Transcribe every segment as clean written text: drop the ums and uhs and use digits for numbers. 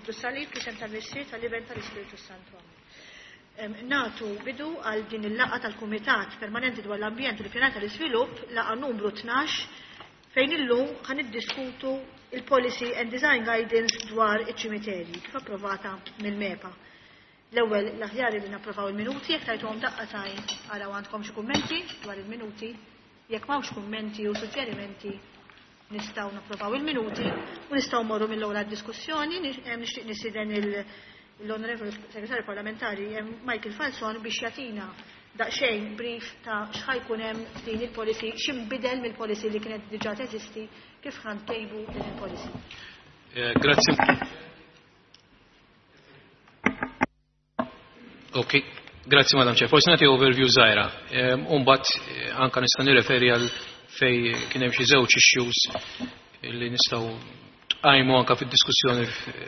Nroddu s-salib fl-isem tal-Missier, tal-Iben, tal-Ispirtu Santu. Amen. Nagħtu bidu għal din il-laqgħa tal-Kumitat Permanenti dwar l-Ambjent u l-Ippjanar tal-Iżvilupp, laqgħa numru 12, fejn illum ħa niddiskutu il-Policy and Design Guidance dwar iċ-ċimiterji, kif approvata mill-MEPA. L-ewwel l-aħjar li napprovaw il-minuti, jekk tajtuhom daqqa t'għajn araw għandkom xi kummenti dwar il-minuti. Jekk m'hawnx kummenti u suġġerimenti nistgħu napprovaw il-minuti u nistgħu morru mill-ewwel għad-diskussjoni. Nixtieq nistieden l-Onorevoli Segretarju Parlamentari Michael Falzon biex jagħtina daqsxejn brief ta' x'ħa jkun hemm f'din il-policy, x'inbidel mill-policy li kienet diġà teżisti, kif ħa ntejbu din il-policy. Grazzi. Ok, grazzi Madam Chair. Forsi nagħti overview żgħira. U mbagħad anka nista' nirreferi għal fej kien hemm xi żewġ issues li nistgħu tqajmu anka fid-diskussjoni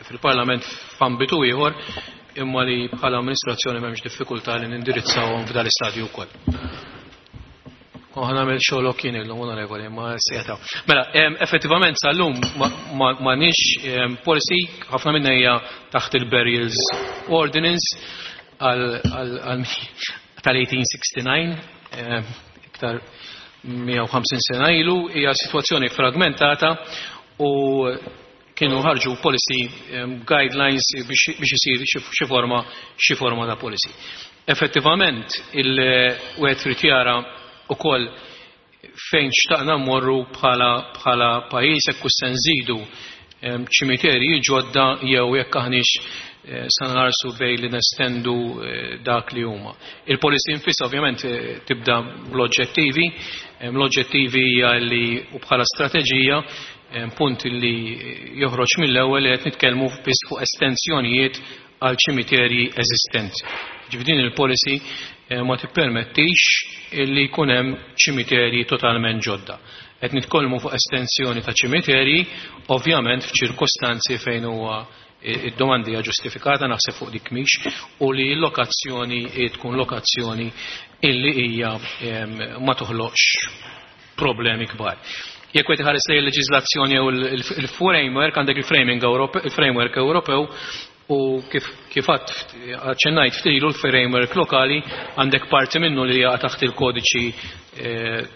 fil-Parlament f'ambitu ieħor imma li bħala amministrazzjoni m'hemmx diffikultà li nindirizzawhom f'dan l-istadju wkoll. U ħa nagħmel xogħlok jien illum onorevoli, ma sejta. Mela, effettivament sal-lum m'għandniex policy, ħafna minna hija taħt il-Burials Ordinance tal-1869, iktar 150 sena ilu, hija sitwazzjoni fragmentata u kienu ħarġu policy guidelines biex isir xi forma ta' policy. Effettivament, il-wieħed trid jara ukoll fejn xtaqna mmorru bħala pajjiż jekk se nżidu ċimiterji ġodda jew jekk aħniex sa nħarsu bej li nestendu dak li huma. Il-policy infissa ovvjament tibda bl-oġġettivi, l-oġġettivi hija li u bħala strateġija punt li joħroġ mill-ewwel li qed nitkellmu biss fuq estensjonijiet għal ċimiterji eżistenti. Ġifieri din il-policy ma tippermettix li jkun hemm ċimiterji totalment ġodda. Qed nitkellmu fuq estensjoni ta' ċimiterji, ovvjament f'ċirkostanzi fejn huwa id-domandi hija ġustifikata naħseb fuq dik mhix u li l-lokazzjoni tkun lokazzjoni illi hija ma toħloqx problemi kbar. Jekk qed iħares lejn il-leġiżlazzjoni jew il-framework, għandek il-framing il-framework Ewropew u kif aċċennajt ftilu l-framework lokali għandek parti minnu li jaqa' taħt il-kodiċi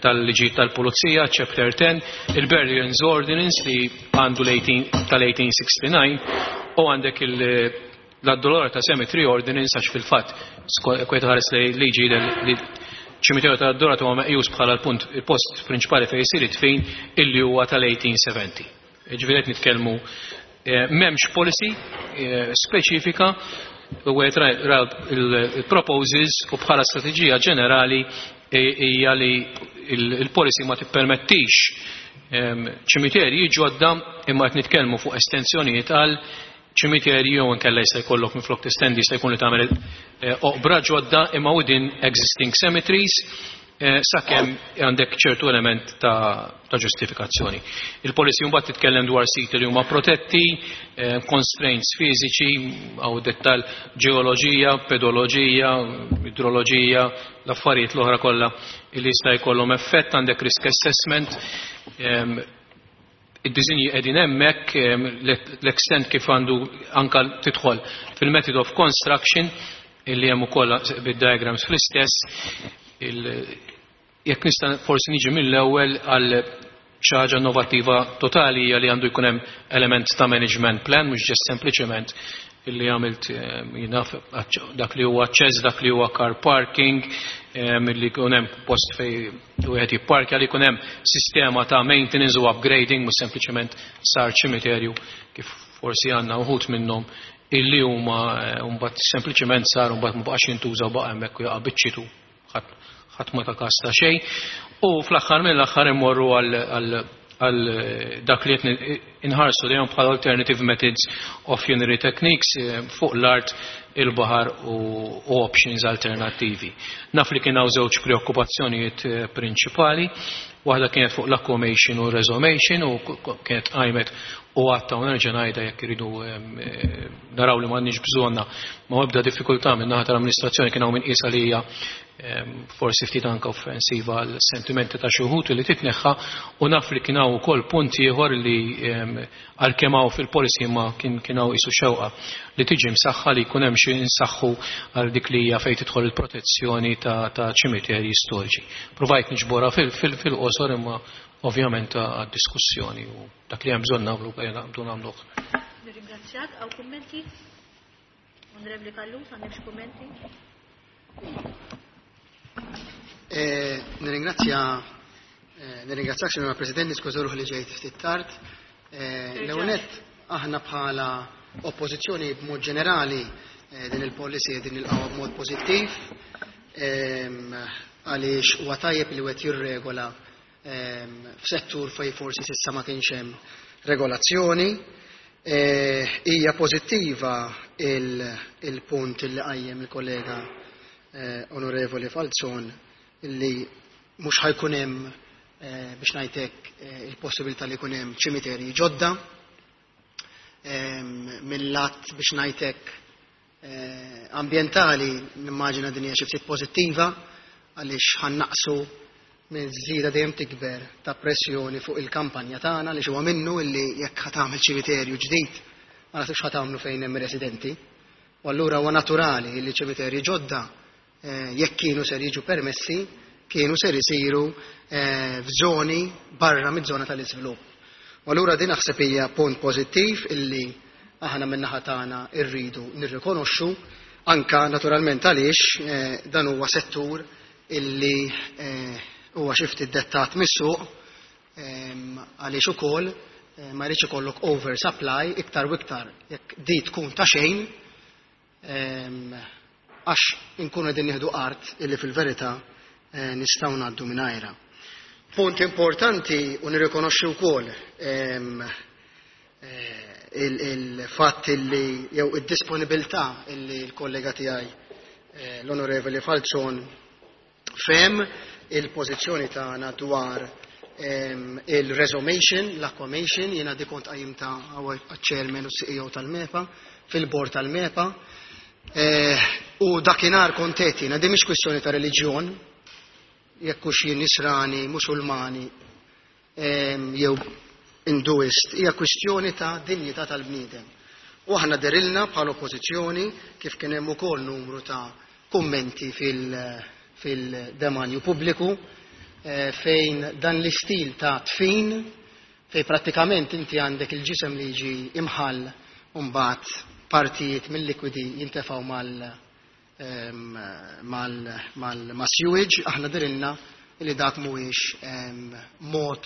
tal-liġi tal-Pulizija, Chapter 10, il-Burials Ordinance li għandu tal-1869 u għandek l-Addolorata Cemetery Ordinance għax fil-fatt kwet ħares li liġi li ċimiterju tal-Addolorata huwa meqjus bħala l-punt il-post prinċipali fejn jsir id-dfin illi huwa tal-1870. Ġifieri qed nitkellmu m'hemmx policy speċifika u għed il-proposals u bħala strateġija ġenerali hija li il-policy ma tippermettix ċimiterji ġodda imma qed nitkellmu fuq estensjonijiet għal ċimiterji jew inkella jista' jkollok minflok testendi jista' jkun li tagħmel oqbra ġodda imma within existing cemeteries sakemm għandek ċertu element ta' ġustifikazzjoni. Il-policy mbagħad titkellem dwar siti li huma protetti, constraints fiżiċi, għaw dettal ġeoloġija, pedoloġija, idroloġija, l-affarijiet l-oħra kollha li jista' jkollhom effett, għandek risk assessment, id-disinji qegħdin hemmhekk, l-extent kif għandu anka tidħol fil-method of construction illi hemm ukoll bid-diagrams fl-istess, jekk nista' forsi niġi mill-ewwel għal xi ħaġa innovattiva totali hija li għandu jkun hemm element ta' management plan, mhux ġest sempliċement illi għamilt jinaf dak li huwa aċċess, dak li huwa car parking, illi jkun hemm post fej wieħed jipparkja, li jkun hemm sistema ta' maintenance u upgrading, mhux sempliċement sar ċimiterju kif forsi għandna uħud minnhom illi huma mbagħad sempliċement sar mbagħad ma baqax jintuża u baqa' hemmhekk u jaqa' biċċitu ħadd ma ta' każ ta' xejn. U fl-aħħar mill-aħħar immorru għal dak li qed inħarsu lejhom bħala alternative methods of funerary techniques fuq l-art, il-baħar u options alternattivi. Naf li kien hawn żewġ preokkupazzjonijiet prinċipali, waħda kienet fuq l-aquamation u resomation u kienet qajmet u għatta u nerġa' ngħidha jekk iridu naraw li m'għandniex bżonna ma ebda diffikultà minn naħa tal-amministrazzjoni kien hawn min qiesha li hija forsi ftit anke offensiva għal sentimenti ta' xi wħud li titneħħa u naf li kien hawn ukoll punt ieħor li Għalkemm hawn fil-policy imma kien hawn qisu xewqa li tiġi msaħħa li jkun hemm xi nsaħħu għal dik li hija fejn tidħol il-protezzjoni ta' ċimiterji storiċi. Provajt niġborha fil-qosor imma ovvjament għad-diskussjoni u dak li hemm bżonn nagħmlu ejja naqbdu nagħmluh. Nirringrazzjak. Hawn kummenti? Onorevoli Callus, għandek xi kummenti? Nirringrazzja nirringrazzjak, Sinjora President, niskuża ruħi li ġejt ftit tard. L-ewwel nett aħna bħala oppożizzjoni b'mod ġenerali din il-policy din nilqgħuha b'mod pożittiv għaliex huwa tajjeb li wieħed jirregola f'settur fejn forsi s'issa ma kienx hemm regolazzjoni. Hija pożittiva il-punt li qajjem il-kollega Onorevoli Falzon li mhux ħajkun hemm biex ngħidlek il-possibilità li jkun hemm ċimiterji ġodda. Mill-lat biex ngħidlek ambjentali nimmaġina din hija xi ftit pożittiva għaliex ħannaqsu minn żieda dejjem tikber ta' pressjoni fuq il-kampanja tagħna li huwa minnu illi jekk ħa tagħmel ċimiterju ġdid ma naħsibx ħa tagħmlu fejn hemm residenti. U allura huwa naturali li ċimiterji ġodda jekk kienu ser jiġu permessi kienu ser isiru f'żoni barra miż-żona tal-iżvilupp. U allura din naħseb hija punt pożittiv illi aħna min-naħa tagħna rridu nirrikonoxxu anka naturalment għaliex dan huwa settur illi huwa xi ftit dettat mis-suq għaliex ukoll ma jridx ikollok oversupply iktar u iktar jekk di tkun ta' xejn għax inkunu qegħdin nieħdu art illi fil-verità nistgħu ngħaddu mingħajrha. Punt importanti u nirrikonoxxi wkoll il-fatt illi jew id-disponibilità illi l-kollega tiegħi l-Onorevoli Falzon fehem il-pożizzjoni tagħna dwar il-resomation, l-aquamation, jiena di kont qajjimta għaċ-chairman u CEO tal-MEPA, fil-bord tal-MEPA. U dakinhar kont qed jiena di mhix kwistjoni ta' reliġjon, jekk hux jien Nisrani, Musulmani jew Hinduist, hija kwistjoni ta' dinjità tal-bniedem. U aħna derilna bħala oppożizzjoni kif kien hemm ukoll numru ta' kummenti fil-demanju pubbliku fejn dan l-istil ta' tfin fejn prattikament inti għandek il-ġisem li jiġi imħall u mbagħad partijiet mill-likwidi jintefgħu mal-sewage, aħna dirilna li dak mhuwiex mod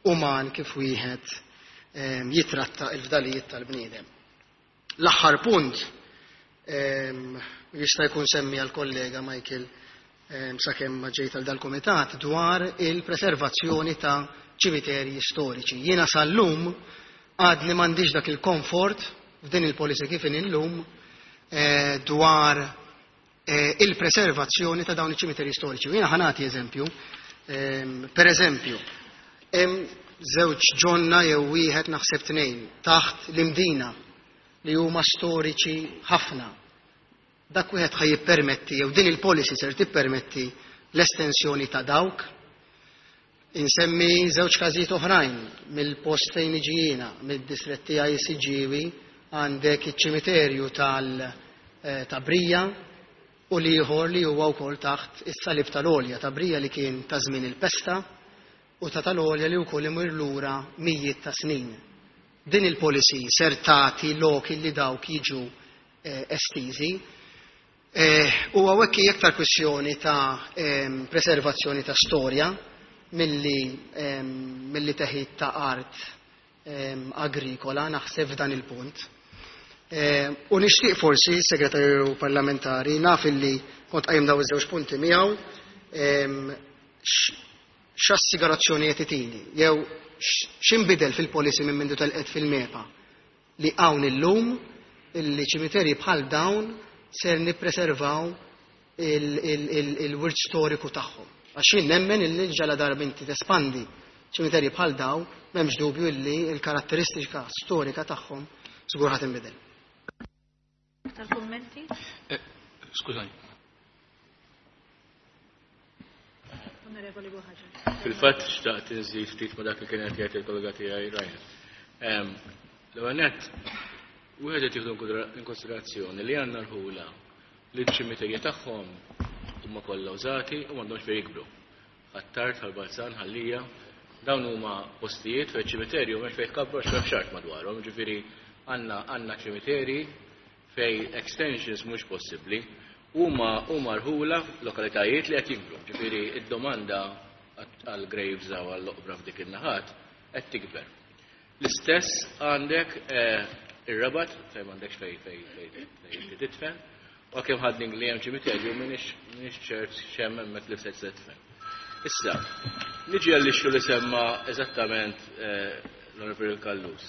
uman kif wieħed jitratta il-fdalijiet tal-bniedem. L-aħħar punt jista' jkun semmi għal-kollega Michael sakemm ma ġejt għal dal-kumitat dwar il-preservazzjoni ta' ċimiterji storiċi. Jiena sal-lum għadni m'għandix dak il-komfort f'din il-policy kif illum dwar il-preservazzjoni ta' dawn iċ-ċimiterji storiċi. Jiena ħa nagħti eżempju. Per eżempju, hemm żewġ ġonna jew wieħed naħseb tnejn taħt l-Imdina li huma storiċi ħafna. Dak wieħed ħaj jippermetti jew din il-policy ser tippermetti l-estensjoni ta' dawk. Insemmi żewġ każijiet oħrajn mill-post fejn iġi jiena, mid-distrett tiegħi Siġġiewi, għandek iċ-ċimiterju ta' Brija u l-ieħor li huwa wkoll taħt is-salib tal-Olja ta' Brija li kien ta' żmien il-pesta u ta' tal-Olja li wkoll imur lura mijiet ta' snin. Din il-policy ser tagħti lok li dawk jiġu estiżi. U hawnhekk hija iktar kwistjoni ta' preservazzjoni ta' storja milli teħid ta' art agrikola, naħseb f'dan il-punt. U nixtieq forsi, segretarju parlamentari, naf illi kont qajjem daw iż-żewġ punti miegħu, x'assigurazzjoni qed itini, jew x'inbidel fil-policy minn mindu telqet fil-MEPA li hawn illum illi ċimiterji bħal dawn ser nippreservaw il-wirt storiku tagħhom. Għax jien nemmen illi ġala darba inti tespandi ċimiterji bħal daw, m'hemmx dubju illi l-karatteristika storika tagħhom żgur ħadd inbidel. Aktar kummenti? Skużani. Onorevoli Buhaġar. Fil-fatt xtaqt nżid ftit ma' dak li kien qed jgħid il-kollega tiegħi Ryan. L-ewwel nett, wieħed irid jieħdu in konsiderazzjoni li għandna rħula li ċ-ċimiterji tagħhom huma kollha użati u m'għandhomx fejn jikbru. Ħ'Attard, Ħal Balzan, Ħal Lija, dawn huma postijiet fejn ċimiterju m'hemmx fejn jkabbru għax m'hemmx art madwarhom, jiġifieri għandna għandna ċimiterji fejn extensions mhux possibbli. Huma huma rħula lokalitajiet li qed jikbru, ġifieri id-domanda għal graves u għall-oqbra f'dik in-naħat qed tikber. L-istess għandek ir-Rabat fejn m'għandekx fejn fejn fejn tidfen, u għalkemm ħadning li hemm ċimiterju m'iniex ċert x'hemm hemmhekk li se tidfen. Issa, niġi għall-issue li semma eżattament l-Onorevoli Callus.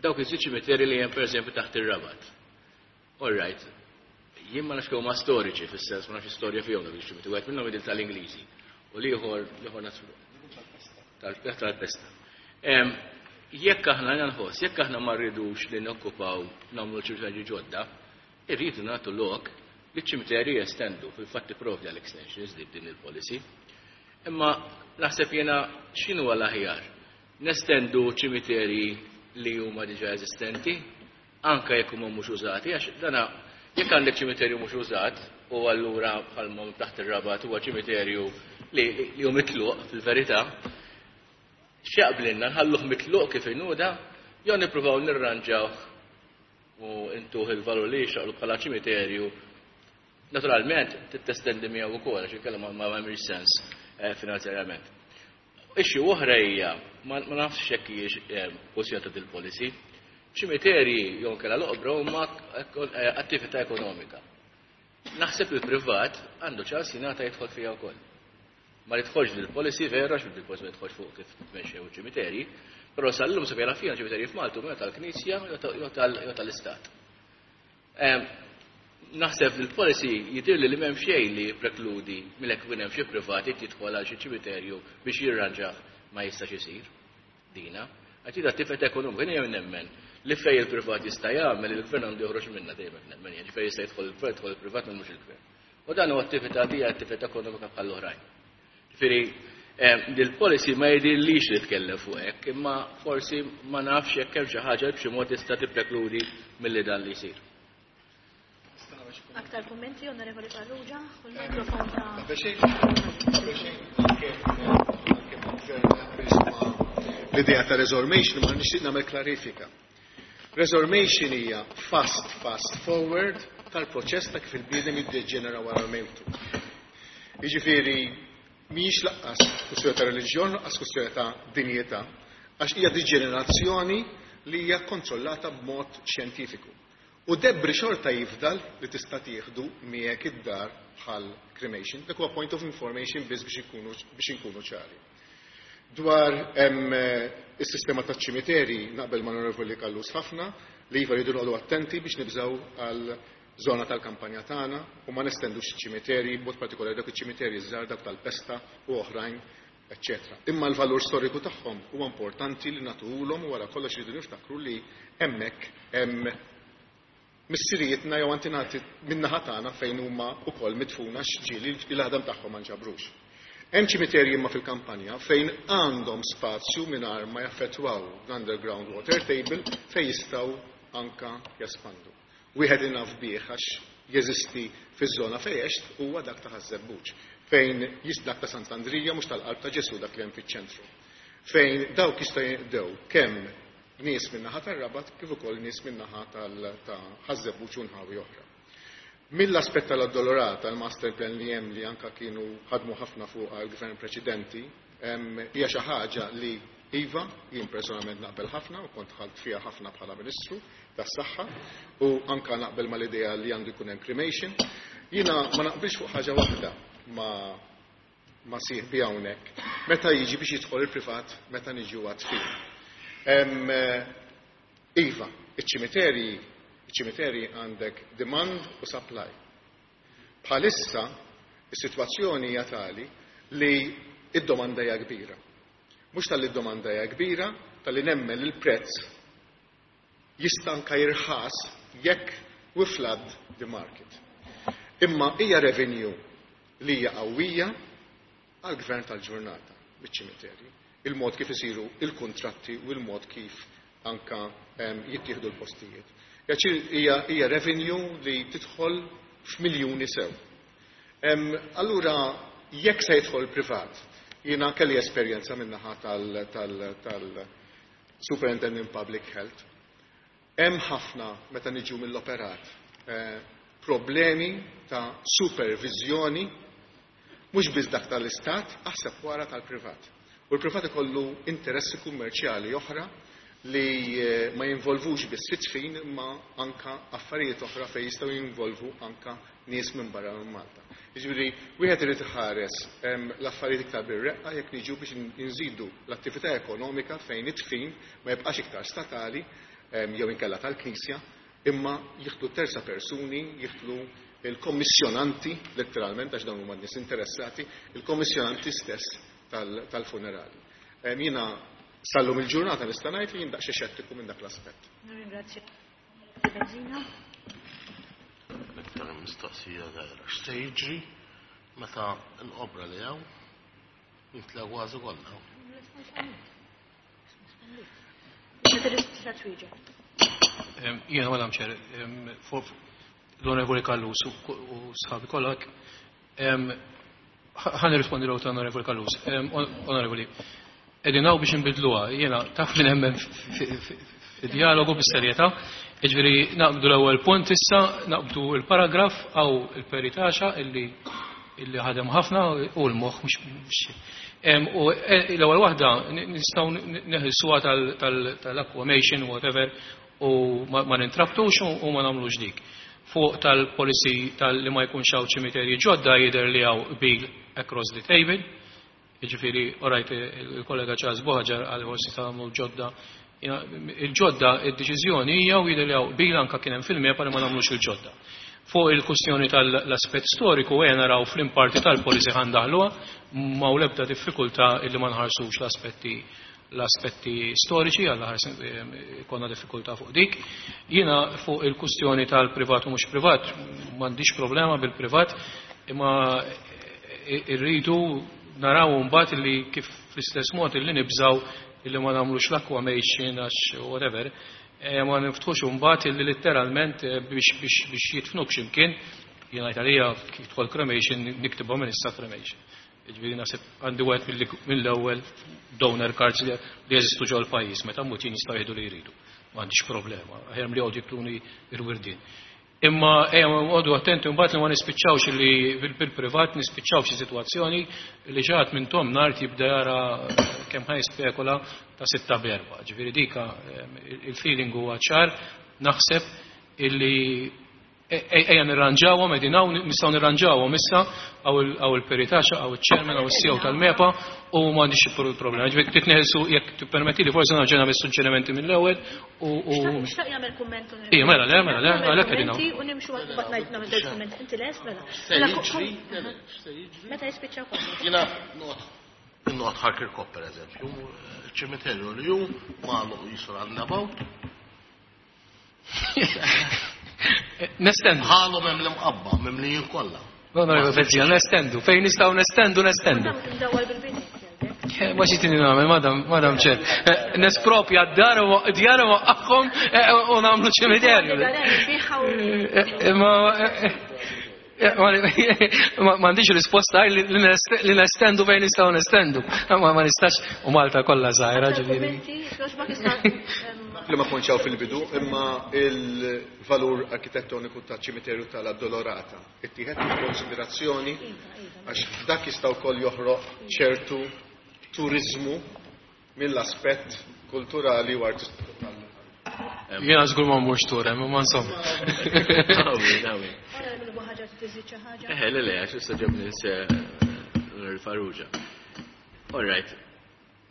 Dawk iż ċimiterji li hemm pereżempju taħt ir-Rabat. All right, jien ma nafx kemm huma storiċi fis-sens ma nafx istorja fihom dawk iċ-ċimiterji, wieħed minnhom jidher tal-Ingliżi u l-ieħor l-ieħor tal-pesta. Jekk aħna nħoss, jekk aħna ma rridux li nokkupaw nagħmlu ċimiterji ġodda, irridu nagħtu lok li ċ-ċimiterji jestendu, fil-fatt tipprovdi għal extensions din il-policy. Imma naħseb jiena x'inhu l-aħjar? Nestendu ċimiterji li huma diġà eżistenti, anke jekk huma mhux użati, għax dana jekk għandek ċimiterju mhux użat u allura bħalma taħt ir-Rabat huwa ċimiterju li hu mitluq fil-verità, x'jaqblilna nħalluh mitluq kif inhu da jew nippruvaw nirranġawh u intuh il-valur li jixraqlu bħala ċimiterju. Naturalment, testendi miegħu wkoll għax inkella ma jagħmilx sens finanzjarjament. Issue oħra hija, ma nafx jekk hijiex kwestjoni ta' dil-policy, ċimiterji jew inkella l-oqbra huma attività ekonomika. Naħseb li l-privat għandu ċans jingħata jidħol fiha wkoll. Ma jidħolx dil-policy vera, għax dil-policy ma jidħolx fuq kif tmexxew iċ-ċimiterji, però sal-lum sa fejn fija ċimiterji f'Malta huma tal-Knisja jew tal-Istat. Naħseb li l-policy jidhirli li m'hemm xejn li jipprekludi milli hemm xi privati jidħol għal xi ċimiterju biex jirranġah ma jistax isir. Dina. Għax id attività ekonomika jien nemmen li fej il-privat jista' jagħmel il-gvern għandu joħroġ minnha dejjem nemmen, jiġifieri jista' jidħol il-gvern, jidħol il-privat mhux il-gvern. U dan huwa attività hija attività ekonomika bħal oħrajn. Ġifieri dil-policy ma jidhirlix li tkellem fuq hekk, imma forsi ma nafx jekk hemm xi ħaġa li b'xi mod tista' tipprekludi milli dan li jsir. Aktar kummenti, Onorevoli Farrugia, u l-mikrofon ta' Qabel xejn, anke l-idea ta' resomation, ma nixtieq nagħmel klarifika. Resomation hija fast forward tal-proċess ta' kif il-bniedem jiddeġenera wara l-mewtu. Jiġifieri mhijiex lanqas kwestjoni ta' reliġjon, lanqas kwestjoni ta' dinjità, għax hija deġenerazzjoni li hija kontrollata b'mod xjentifiku. U debris xorta jifdal li tista' tieħdu miegħek id-dar bħal cremation. Dak huwa point of information biss biex inkunu ċari. Dwar is-sistema taċ ċimiteri naqbel ma' Onorevoli Callus ħafna li iva rridu noqogħdu attenti biex nibżgħu għal żona tal-kampanja tagħna u ma nestendux iċ-ċimiteri, b'mod partikolari dak iċ-ċimiteri żgħar dak tal-pesta u oħrajn, eccetera. Imma l-valur storiku tagħhom huwa importanti li nagħtuhulhom u wara kollox rridu niftakru li hemmhekk hemm missirijietna jew antinati min-naħa tagħna fejn huma wkoll midfuna x'ġieli l-għadam tagħhom ma nġabrux. Hemm ċimiterji imma fil-kampanja fejn għandhom spazju mingħajr ma jaffettwaw l-underground water table fejn jistgħu anka jespandu. Wieħed naf bih għax jeżisti fiż-żona fejn għext huwa dak ta' Ħaż-Żebbuġ, fejn dak ta' Sant'Andrija mhux tal-qalb ta' Ġesu dak li hemm fiċ-ċentru. Fejn dawk jistgħu jinqdew kemm nies min-naħa tar-Rabat kif ukoll nies min-naħa ta' Ħaż-Żebbuġ u nħawi oħra. Mill-aspett tal-Addolorata, il-master plan li hemm li anka kienu ħadmu ħafna fuq għal-gvern preċedenti, hija xi ħaġa li iva, jien personalment naqbel ħafna u kont ħadt fiha ħafna bħala Ministru tas-Saħħa u anka naqbel mal-idea li għandu jkun hemm cremation. Jiena ma naqbilx fuq ħaġa waħda ma sieħbi hawnhekk meta jiġi biex jidħol il-privat meta niġu għat-tfin. Iva, iċ-ċimiteri għandek demand u supply. Bħalissa, is-sitwazzjoni hija tali li id-domanda hija kbira. Mhux tal-li d-domanda hija kbira, tal-li nemmen li l-prezz jista' anka jirħas jekk we flood the market. Imma hija revenue li hija qawwija għall-gvern tal-ġurnata biċ-ċimiterji. il-mod kif isiru il-kuntratti u l-mod kif anka jittieħdu l-postijiet. Hija revenue li tidħol f'miljuni sew. Allura, jekk se jidħol privat, jiena kelli esperjenza min-naħa tal-Superintendent Public Health. Hemm ħafna meta niġu mill-operat problemi ta' supervizjoni, mhux biss dak tal-istat, aħseb wara tal-privat. U l-privat ikollu interessi kummerċjali oħra li ma jinvolvux biss it-tfin imma anka affarijiet oħra fejn jistgħu jinvolvu anka nies minn barra minn Malta. Jiġifieri wieħed irid iħares l-affarijiet iktar bir-reqqa jekk niġu biex nżidu l-attività ekonomika fejn it-tfin ma jibqax iktar statali jew inkella tal-Knisja, imma jieħdu terza persuni, jieħdu il-kommissjonanti, letteralment, għax dawn huma n-nies interessati, il-kommissjonanti stess tal-funerali. Jiena sal-lum il-ġurnata nista' ngħid li jien daqsxejn xettiku minn dak l-aspett. Nirringrazzja. Bezzina. Iktar mistoqsija żgħira. X'se jiġri meta l-qobra li hawn jimtlew kważi kollha? Jiena Madam Chair, fuq l-Onorevoli Callus u sħabi kollha, ħa nirrispondi l ta' Onorevoli Callus. Onorevoli, qegħdin hawn biex nbidluha, jiena taf li nemmen fi dialogu bis-serjetà, jiġifieri naqbdu l-ewwel punt issa, naqbdu il-paragraf għaw il-peritaxa illi ħadem ħafna u l-moħħ mhux u l-ewwel waħda nistgħu neħilsuha tal-aquamation, whatever, u ma nintrabtux u ma nagħmlux dik. Fuq tal-policy tal-li ma jkunx hawn ċimiterji ġodda jidher li hawn qbil across the table. Jiġifieri, orajt il-kollega Charles Buhagiar għal forsi tagħmlu ġodda. Il-ġodda, id-deċiżjoni hija u jidher li hawn qbil anka kien hemm fil-MEPA li ma nagħmlux il-ġodda. Fuq il-kwistjoni tal-aspett storiku għena naraw fl-imparti tal-policy ħa ndaħluha, ma u lebda diffikultà illi ma nħarsux l-aspetti storiċi, għalla ħars konna diffikultà fuq dik. Jiena fuq il-kwistjoni tal-privat u mhux privat, m'għandix problema bil-privat, imma irridu naraw mbagħad li kif fl-istess mod illi nibżaw illi ma nagħmlux l-aquamation għax whatever, ma niftħux mbagħad illi letteralment biex jitfnuk x'imkien, jiena għalija kif tidħol cremation niktibhom minn issa cremation. Jiġifieri naħseb għandi wieħed mill-ewwel donor cards li jeżistu ġol pajjiż, meta mmut jien jistgħu jieħdu li jridu. M'għandix problema, aħjar li jqogħdu jikluni ir-wirdien. Imma ejja għodu attenti mbagħad li ma nispiċċawx li bil-privat nispiċċaw xi sitwazzjoni li ġat minn tom nar jibda jara kemm ħaj spekula ta' 6 b'4. Ġifieri dika il-feeling huwa ċar, naħseb illi ejja nirranġawhom qegħdin hawn nistgħu nirranġawhom issa hawn il-peritaxa, hawn il-chairman, hawn il-CEO tal-MEPA u m'għandix problema. Ġifieri titneħelsu jekk tippermetti li forsi nerġa' nagħmel suġġerimenti mill-ewwel u Xtaq jagħmel kumment. Ija, mela, le, mela, le, għalhekk qegħdin hawn. U nimxu għal bat ngħid nagħmel żewġ kumment. Inti lest mela. Se jiġri, se jiġri. Meta jispiċċaw kollox. Jiena noqgħod Ħal Kirkop per eżempju, ċimiterju li hu magħluq jisra għal-nabaw. Nestendu. Ħalhom hemm l-imqabba, mimlijin kollha. No, no, Bezzina, nestendu. Fejn nistgħu nestendu, nestendu. Ndawwar bil-bini. Ma xi tini nagħmel, madam Chair. Nespropja d-dar u djar u waqqafhom u nagħmlu ċimiterju. Ma m'għandix risposta li nestendu fejn nistgħu nestendu. Ma nistax u Malta kollha żgħira ġifieri. Li ma konċaw fil-bidu, imma il-valur arkitettoniku ta' ċimiterju tal-Addolorata. Ittieħed in konsiderazzjoni għax dak jista' wkoll joħroq ċertu turizmu mill-aspett kulturali u artistiku tal Jiena żgur ma mmurx tur hemm, imma insomma. Dawi. Le, le, għax issa ġabni l-Farrugia. All right.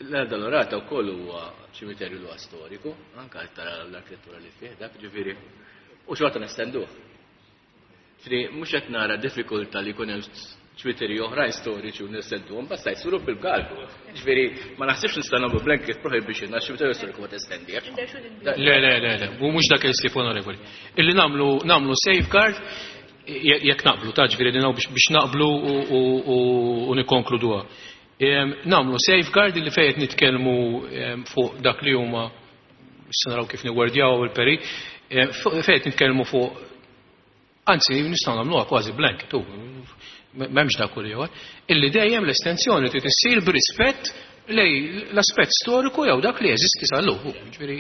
L-Addolorata wkoll huwa ċimiterju li huwa storiku, anka tara l-arkitettura li fih dak ġifieri. U xorta nestenduh. Ġifieri mhux qed nara diffikultà li jkun hemm ċimiterji oħrajn storiċi u nestenduhom, basta jsiru bil-kalku. Ġifieri ma naħsibx nista' nagħmlu blanket prohibition għax ċimiterju storiku ma testendih. Le, le, le, le, u mhux dak il-stif onorevoli. Illi nagħmlu safeguard jekk naqblu, ta' ġifieri din biex naqblu u nikkonkluduha. Nagħmlu safeguard li fejn qed nitkellmu fuq dak li huma, issa naraw kif niwordjaw il-peri, fejn qed nitkellmu fuq, anzi nistgħu nagħmluha kważi blanket, tu m'hemmx dak kull ieħor, illi dejjem l-estensjoni trid issir b'rispett lej l-aspett storiku jew dak li jeżisti sal-lum. Ġifieri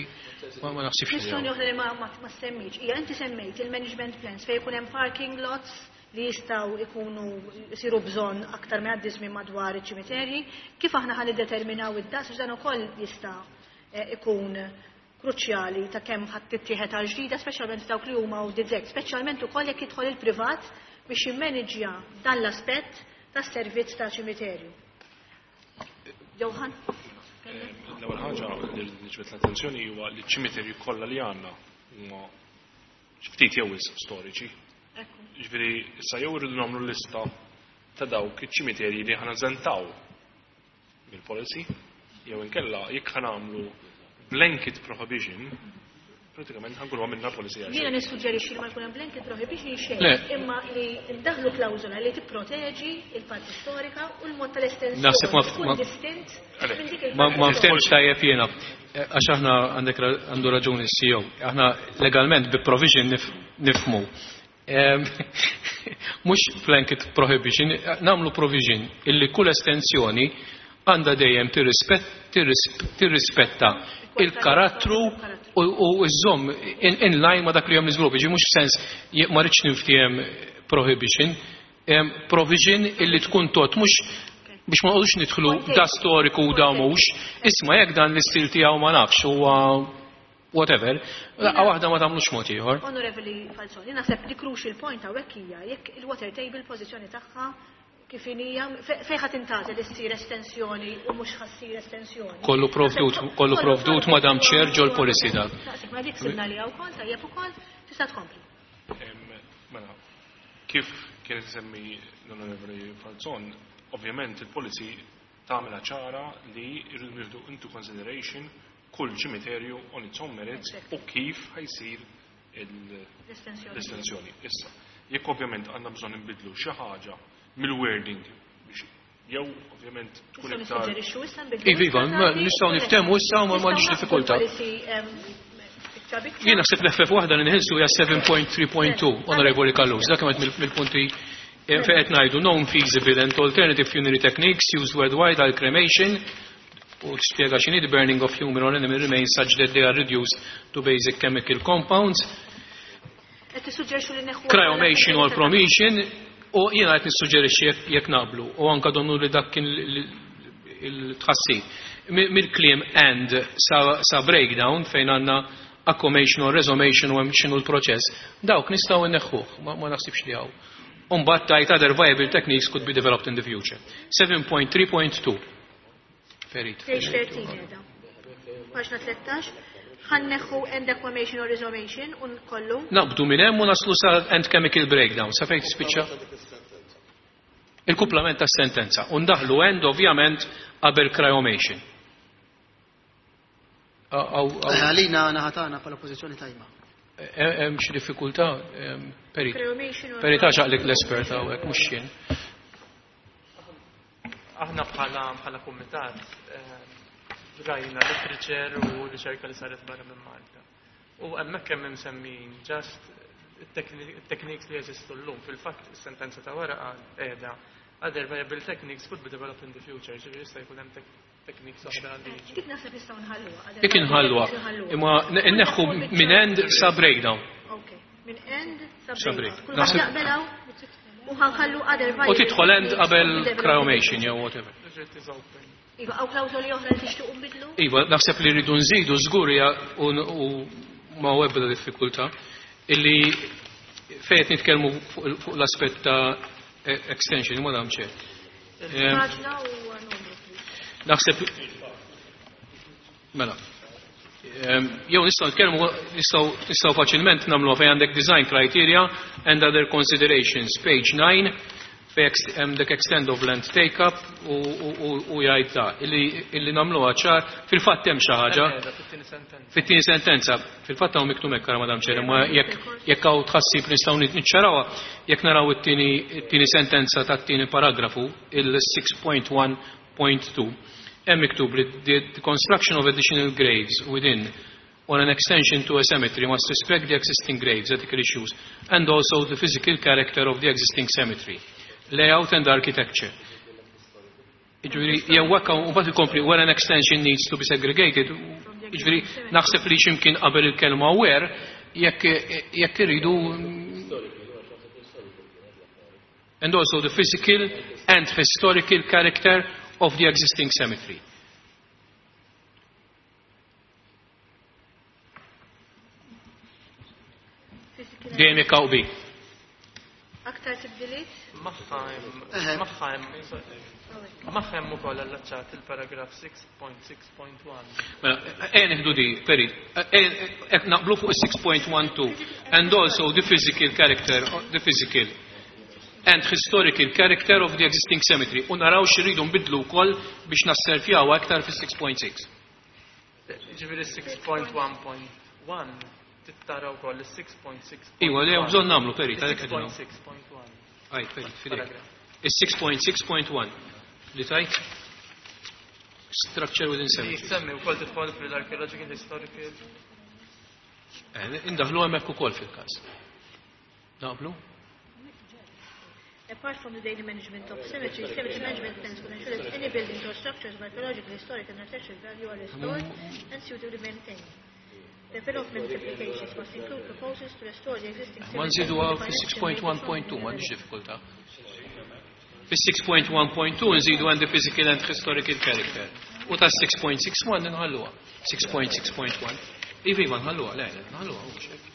ma naħsibx. Kwistjoni oħra li ma semmejtx hija, inti semmejt il-management plans fejn ikun hemm parking lots li jistgħu ikunu jsiru bżonn aktar minn għaddi żmien madwar iċ-ċimiterji, kif aħna ħa niddeterminaw id-daqs, għax dan ukoll jista' ikun kruċjali ta' kemm ħadd tittieħed għal ġdida, speċjalment dawk li huma u dizek, speċjalment ukoll jekk jidħol il-privat biex jimmanġja dan l-aspett tas-servizz ta' ċimiterju. Johan? L-ewwel ħaġa li rrid niġbed l-attenzjoni huwa li ċ-ċimiterji kollha li għandna huma ftit jew wisq storiċi. Ġifieri issa jew irridu nagħmlu lista ta' dawk iċ-ċimiterji li ħa neżentaw mill-policy, jew inkella jekk ħa nagħmlu blanket prohibition, pratikament ħa nkunu għamilna policy għal Jiena xejn. nissuġġerixxi li ma jkun hemm blanket prohibition xejn, Le. imma li ndaħlu klawżola li tipproteġi il-parti storika u l-mod tal-estensjoni Naħseb tkun distint minn dik il-parti Ma storika. ftehmx tajjeb jiena. Għax aħna għandek għandu raġuni s-CEO. Aħna legalment bi provision nifmu. Mhux blanket prohibition, nagħmlu provision illi kull estensjoni għandha dejjem tirrispetta il-karattru u iżżomm in line ma dak li hemm l-iżvilupp. Ġi mhux sens ma rridx niftiehem prohibition, provision illi tkun tot mhux biex ma nqogħdux nidħlu da storiku u da mhux, isma' jekk dan l-istil tiegħu ma nafx huwa whatever, laqgħa waħda ma tagħmlux mod ieħor. Onorevoli Falzoni, naħseb li crucial point hawnhekk hija jekk il-water table pożizzjoni tagħha kif hija fejn ħadd intgħażel issir estensjoni u mhux ħa ssir estensjoni. Kollu provdut, kollu provdut, Madam Chair, ġol policy dak. Naqseb ma dik sibna li wkoll tajjeb ukoll tista' tkompli. Mela, kif kien semmi l-Onorevoli Falzon, ovvjament il-policy tagħmilha ċara li jridu nieħdu into consideration kull ċimiterju on its own merits u kif ħa jsir L-estensjoni. l-estensjoni. Issa, jekk ovvjament għandna bżonn nbidlu xi ħaġa mill-wording biex jew ovvjament tkun Nistgħu iktar nissuġġerixxu issa nbidlu. Iva, iva, nistgħu niftehmu issa u ma m'għandix diffikultà. Jien naħseb l-FF waħda li nħilsu hija 7.3.2, Onorevoli Callus, dak kemm mill-punti fejn qed ngħidu known feasible and alternative funerary techniques used worldwide are cremation u spjega x'inhi the burning of human or animal remains such that they are reduced to basic chemical compounds. Qed tissuġġerixxu li neħu Cryomation or promation u jiena qed nissuġġerixxi jekk naqblu u anka donnu li dak kien il-tħassib. Mill-kliem and sa breakdown fejn għandna aquamation or resomation u hemm x'inhu l-proċess, dawk nistgħu nneħħuh, ma naħsibx li hawn. U mbagħad tajt other viable techniques could be developed in the future. 7.3.2. Ferit. Page 13 qiegħda. Paġna 13. Ħa nneħħu and aquamation or resomation u nkollu. Naqbdu minn hemm u naslu sa and chemical breakdown. Sa fejn tispiċċa? Il-kumplament tas sentenza. U ndaħlu and ovvjament qabel cryomation. Għalina naħa tagħna bħala pożizzjoni tajba. Hemm xi diffikultà, Peri. Cryomation or Peri taxaqlik l-espert hawnhekk mhux jien. Aħna bħala kumitat rajna literature u riċerka li saret barra minn Malta. U hemmhekk hemm imsemmin just it-techniques li jeżistu llum. Fil-fatt is-sentenza ta' wara qiegħda other viable techniques could be developed in the future, ġifieri jista' jkun hemm techniques oħra li jiġu. Dik naħseb nistgħu nħalluha. Dik inħalluha. Imma nneħħu minn and sa breakdown. Ok, minn and sa Sa breakdown. break. Kull ħadd jaqbel hawn u ħa nħallu other viable U tidħol and techniques qabel could be developed in the cryomation future. jew whatever. It is open. Iva, hawn klawżoli oħra li tixtiequ nbidlu? Iva, naħseb li rridu nżidu żgur hija u ma hu ebda diffikultà illi fejn qed nitkellmu fuq l-aspett ta' extension, ma dam xejn. Paġna u numru, please. Naħseb mela. Jew nistgħu nitkellmu, nistgħu faċilment nagħmluha fejn għandek design criteria and other considerations, page 9, fejn hemm dak extend of land take up u jgħid ta' illi nagħmluha ċar, fil-fatt hemm xi ħaġa. Qiegħda fit-tieni sentenza. Fit-tieni sentenza, fil-fatt hawn miktub hekk, Madam Chair, imma jekk hawn tħassib nistgħu niċċarawha, jekk naraw it-tieni sentenza tat-tieni paragrafu, il-6.1 6.2 hemm miktub li the construction of additional graves within or an extension to a cemetery must respect the existing graves, ethical issues, and also the physical character of the existing cemetery, layout and architecture. Jiġifieri, jew hekk u mbagħad ikompli where an extension needs to be segregated, jiġifieri naħseb li x'imkien qabel il-kelma where jekk jekk iridu and also the physical and historical character of the existing cemetery. Dejjem jekk hawn qbil. Aktar tibdiliet? Magħha hemm magħha hemm magħha hemm ukoll allaċċat il-paragraf 6.6.1. Mela, ejja nieħdu di, Perit. Ejja naqblu fuq is-6.12 and also the physical character, the physical and historical character of the existing cemetery u naraw x'irridu nbiddlu wkoll biex nassertjawha iktar fis-6.6. Jiġifieri 6.1.1 tittara wkoll is-6.6. Iwa, li hemm bżonn nagħmlu, Perit, għalhekk qegħdin hawn. 6.6.1. Għid, Perit, fidejk. Is-6.6.1 li tajt structure within Li cemetery. jissemmi wkoll tidħol fil-archaeological historical. Eh, Indaħlu hemmhekk ukoll fil-każ. Naqblu? Apart from the daily management of cemeteries, cemetery management plans will ensure that any buildings or structures of archaeological, historic and architectural value are restored and suitably maintained. Development applications must include proposals to restore the existing Ma cemetery. nżiduha fis-6.1.2 m'għandix diffikultà. Fis-6.1.2 nżidu and the physical and historical character. U ta' 6.61 nħalluha. 6.6.1. Iva, iva, nħalluha, le, le, nħalluha, mhux hekk.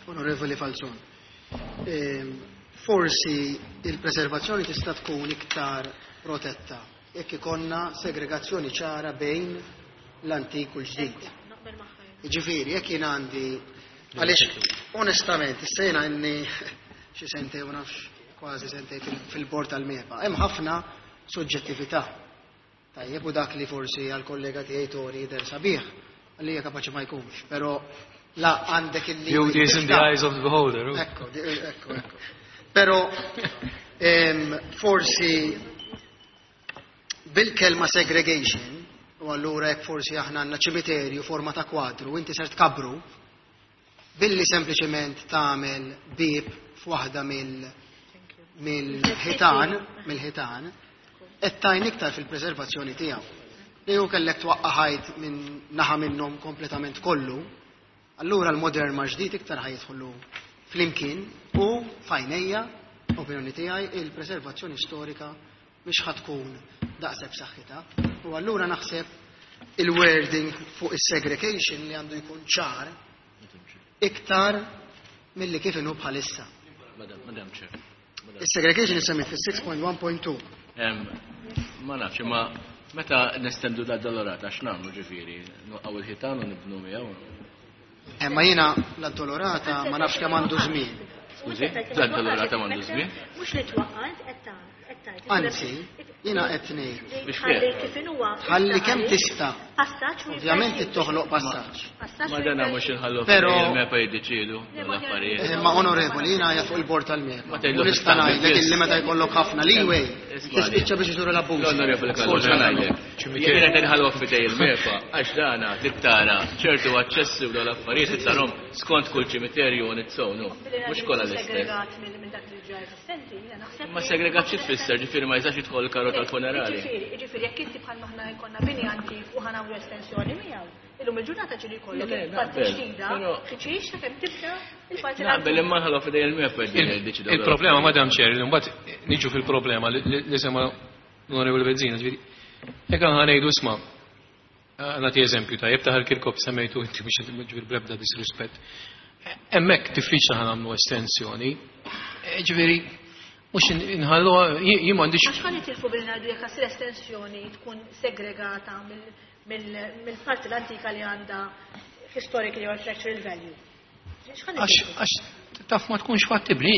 Onorevoli Falzon, forsi il-preservazzjoni tista' tkun iktar protetta jekk ikonna segregazzjoni ċara bejn l-antik u l-ġdid. Naqbel magħha. Jiġifieri, jekk jien għandi għaliex onestament issa jiena inni xi sentej u nafx kważi sentej fil-bord tal-MEPA, hemm ħafna soġġettività. Tajjeb u dak li forsi għal-kollega tiegħi Tori jidher sabiħ, għalija kapaċi ma jkunx, però la għandek il-li. Beauty is in the eyes of the beholder. oh. Ekko, ekko, ekko. Però forsi bil-kelma segregation, u allura jekk forsi aħna għandna ċimiterju forma ta' kwadru, inti ser tkabru, billi sempliċement tagħmel bieb f'waħda mill-ħitan, mill-ħitan, qed tajn iktar fil-preservazzjoni tiegħu. Li hu kellek twaqqa' ħajt minn naħa minnhom kompletament kollu, allura l-modern ma' ġdid iktar ħajidħlu flimkien u fajnejja, opinjoni tiegħi, il-preservazzjoni storika mhix ħa tkun daqshekk b'saħħitha. U allura naħseb il-wording fuq is-segregation li għandu jkun ċar iktar milli kif inhu bħalissa. Madam Chair. Is-segregation issemmi fis-6.1.2. Ma nafx, ma meta nestendu da Dolorata, x'nagħmlu ġifieri? Nwaqgħu il-ħitan u nibnu miegħu. Ma jiena l-Addolorata ma nafx kemm għandu żmien. Skużi, l-Addolorata m'għandu żmien? Mhux li twaqqa' int qed qed tgħid. Anzi, jiena qed ngħid. Biex Ħalli kif? kif inhuwa. Ħalli kemm tista'. Passaġġ u Ovvjament toħloq passaġġ. Passaġġ Ma dana mhux inħallu Però- il-MEPA jiddeċiedu l-affarijiet. Ma onorevoli, jiena qiegħed fuq il-bord tal-MEPA. Ma tgħidlux U nista' tagħmel ngħidlek biss. illi meta jkollok ħafna leeway, Ismani. tispiċċa biex iżuru l-abbuż. L-onorevoli Kallu, ngħidlek. Jien qed inħallu f'idej il-MEPA għax dana tittara ċertu aċċessi u l-affarijiet tittarhom skont kull ċimiterju on its own, no. Mhux kollha l-istess. Segregat minn dak li ġa eżistenti, jiena naħseb. Ma segregat xi tfisser, ġifieri ma jistax jidħol il-karru tal-funerali. Jiġifieri, jiġifieri jekk inti bħal maħna jkollna bini antik u ħanagħmlu estensjoni miegħu, illum il-ġurnata ġieli jkollok Le, le, il-parti naqbel, ġdida, però- ħiċix sakemm tibda il-parti Naqbel imma nħallu f'idej il-MEPA jiddeċidu. Il-problema, Madam Chair, li mbagħad niġu fil-problema li sema l-Onorevoli Bezzina, ġifieri, jekk aħna ngħidu isma' nagħti eżempju tajjeb ta' Kirkop semmejtu inti biex ġifieri bl-ebda disrispett. Hemmhekk diffiċli ħa nagħmlu estensjoni. Ġifieri, mhux inħalluha jien m'għandix Għax ħa nitilfu billi ngħidu jekk ssir estensjoni tkun segregata mill-parti l-antika li għandha historically or architectural value. X'ħa għax nitilfu? għax taf ma tkunx fattibbli.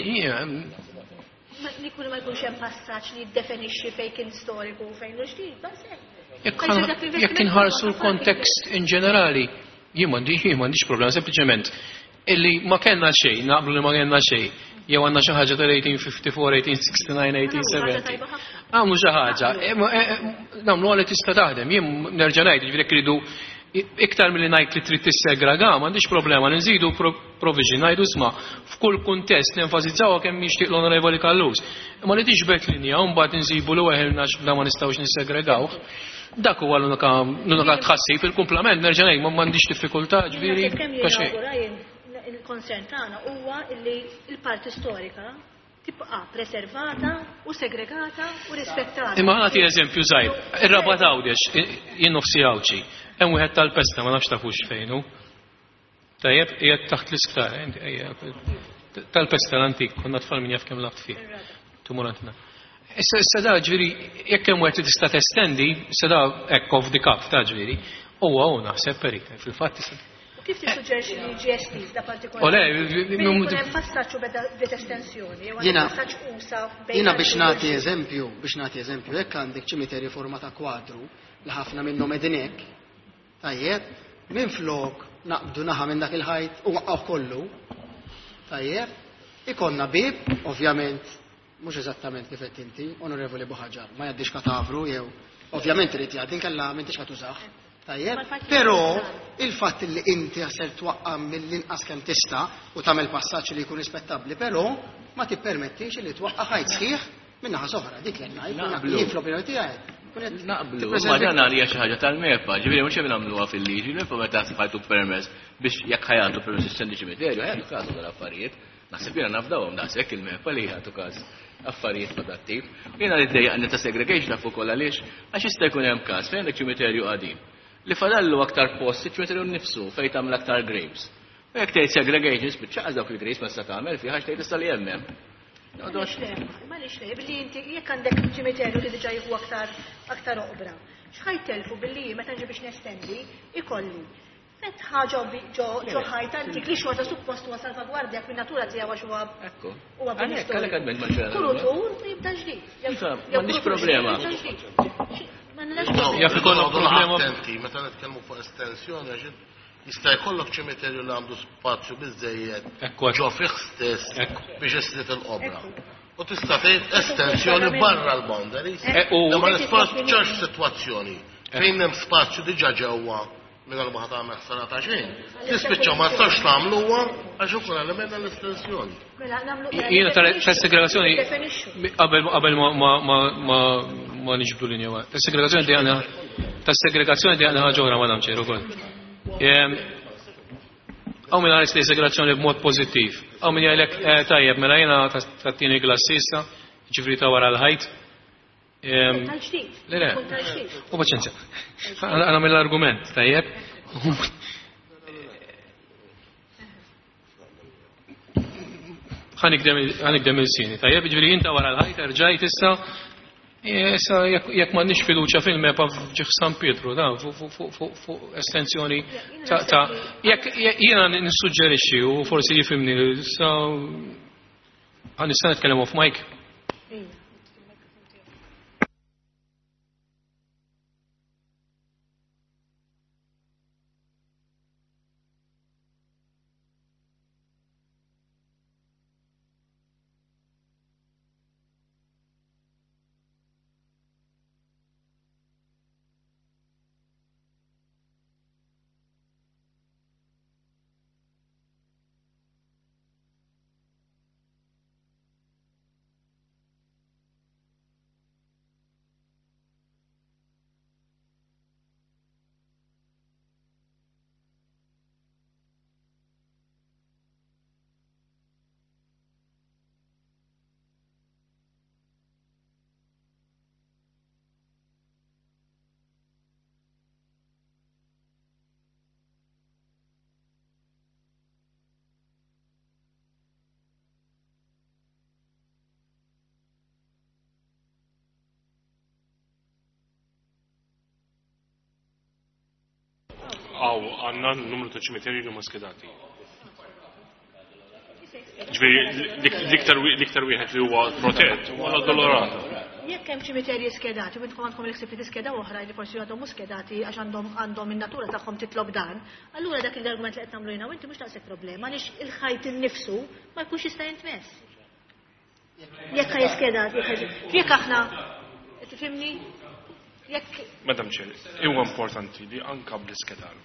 Li jkun ma jkunx hemm passaġġ li jiddefinixxi fejn kien storiku u fejn hu ġdid, bas hekk. Jekk inħarsu l-kontekst in ġenerali, jien m'għandix problema, sempliċement illi ma kellna xejn, naqblu li ma kellna xejn. Jew għandna xi ħaġa tal-1854, 1869, 1870. Għamlu xi ħaġa, nagħmlu li tista' taħdem. Jien nerġa' ngħid, jiġifieri jekk iridu iktar milli ngħid li trid tissegrega, m'għandix problema li nżidu provision, ngħidu isma' f'kull kuntest nenfasizzaw kemm jixtieq l-Onorevoli Callus. Imma li tiġbed linja u mbagħad insibu li weħilna da ma nistgħux nissegregawh. Dak huwa l-unika tħassib, il-kumplament nerġa' ngħid m'għandix diffikultà, ġifieri, Kemm ta' xejn. jiena il-concern tagħna huwa li l-parti storika tibqa' preservata u segregata u rispettata. Imma ħa nagħti eżempju żgħir. Ir-Rabat Għawdex, jien nofsi Għawdxi, hemm wieħed tal-pesta ma nafx tafux fejn hu. Tajjeb, qiegħed taħt l-isptar, ejja, tal-pesta l-antik, konna tfal min jaf kemm lgħabt fih. Tumur għandna. Issa da ġifieri, jekk hemm wieħed li tista' testendi, issa da hekk off the cuff ta' ġifieri, huwa hu naħseb perit, fil-fatt tista' U kif tissuġġerixxi li jiġi estiż da partikolari? O le, Billi jkun hemm passaġġ u beda bdiet estensjoni, jew Jiena- għandek passaġġ usa bejn Jiena biex l-antik u nagħti l-ġdid. eżempju, biex nagħti eżempju, jekk għandek ċimiterju forma ta' kwadru li ħafna minnhom qegħdin hekk, tajjeb, minn flok naqbdu naħa minn dak il-ħajt u waqqgħu kollu, tajjeb, ikonna bib, ovvjament, mhux eżattament kif qed inti, Onorevoli Buhaġar, ma jgħaddix katavru jew ovvjament irid jgħaddi inkella m'intix ħa tużah. Tajjeb, Ma l-fatt li però jgħaddi il-fatt li inti ser twaqqa' mill-inqas kemm tista' u tagħmel passaġġ li jkun rispettabbli, però ma tippermettix li twaqqa' ħajt sħiħ minn naħa soħra, dik li qed ngħid, Naqblu. jien fl-opinjoni tiegħi. kun qed Naqblu, tippreservi- ma dan għalija xi ħaġa tal-MEPA, ġifieri mhux hemm nagħmluha fil-liġi, il-MEPA meta ħajtu permess biex jekk ħajatu permess estendi ċimiterju, ħajatu każu dal-affarijiet. Naħseb jiena nafdawhom daqshekk il-MEPA li jagħtu każ affarijiet ta' dat-tip. U Jiena li ddejjaqni ta' segregation naf ukoll għaliex għax jista' jkun hemm każ fejn għandek ċimiterju qadim li fadallu aktar post iċ-ċimiterju nnifsu fejn tagħmel aktar graves. U jekk tgħid segregation spiċċa dawk il-graves ma tista' tagħmel fih għax tgħid issa li hemm hemm. Għaliex le, għaliex le, billi inti jekk għandek ċimiterju li diġà jieħu aktar aktar oqbra. X'ħajtelfu billi meta nġi biex nestendi ikolli fetħa ġo ġo ġo ħajt antik li xorta suppost huwa salvagwardja minn natura tiegħu għax huwa Ekku. huwa bini Għalhekk storiku. għalhekk għadment ma xejn. Kurutur jibda ġdid. Jew- Iva, jew m'għandix kurutur problema. ġdid jibda ġdid. M'għandnax problema. Jaf ikollok Noqogħdu problema- Attenti, meta nitkellmu fuq estensjoni, għax jista' jkollok ċimiterju li għandu spazju biżejjed Ekku, ekku. ġo fih stess Ekku. biex islit il-qobra. Ekku. U tista' tgħid estensjoni barra l-boundaries. Imma l-ispazju sitwazzjoni fejn hemm spazju diġà ġewwa mingħajr ma ħa tagħmel ħsara ta' xejn. Tispiċċa ma tistax tagħmluha għax ukoll element l-estensjoni. Mela nagħmlu Jiena tal-segregazzjoni Definixxu. qabel qabel ma niġbdu linja waħda. Tas-segregazzjoni di għandna tas-segregazzjoni di għandna ħaġa oħra Madam Chair ukoll. Hawn min ħares li segregazzjoni b'mod pożittiv. Hawn min jgħidlek tajjeb mela jiena tat-tieni klassi issa, ġifri ta' wara l-ħajt. Tal-ġdid. Le, le. Kun tal-ġdid. U paċenzja. Għana mill-argument, tajjeb. Ħa nigdem il-sini, tajjeb, ġifieri inta wara l-ħajt rġajt issa, issa jekk m'għandniex fiduċja fil-MEPA f'ġieħ San Pietru, da, fuq estensjoni ta' jekk jiena nissuġġerixxi u forsi jifhimni, issa ħa nista' nitkellem off mic. Ija. Għaw, għandna numru ta' ċimiterji li huma skedati. Ġifieri, l-iktar wieħed li huwa protett huwa l-Addolorata. Jekk hemm ċimiterji skedati, u intkom għandkom l-ħsieb li tiskeda oħra li forsi għadhom mhux skedati għax għandhom għandhom in-natura tagħhom titlob dan, allura dak l-argument li qed nagħmlu jiena u inti mhux daqshekk problema għaliex il-ħajt innifsu ma jkunx jista' jintmess. Jekk jiskeda, jekk aħna, tifhimni? Jekk. Madam Chair, huwa importanti li anka bl-iskedar.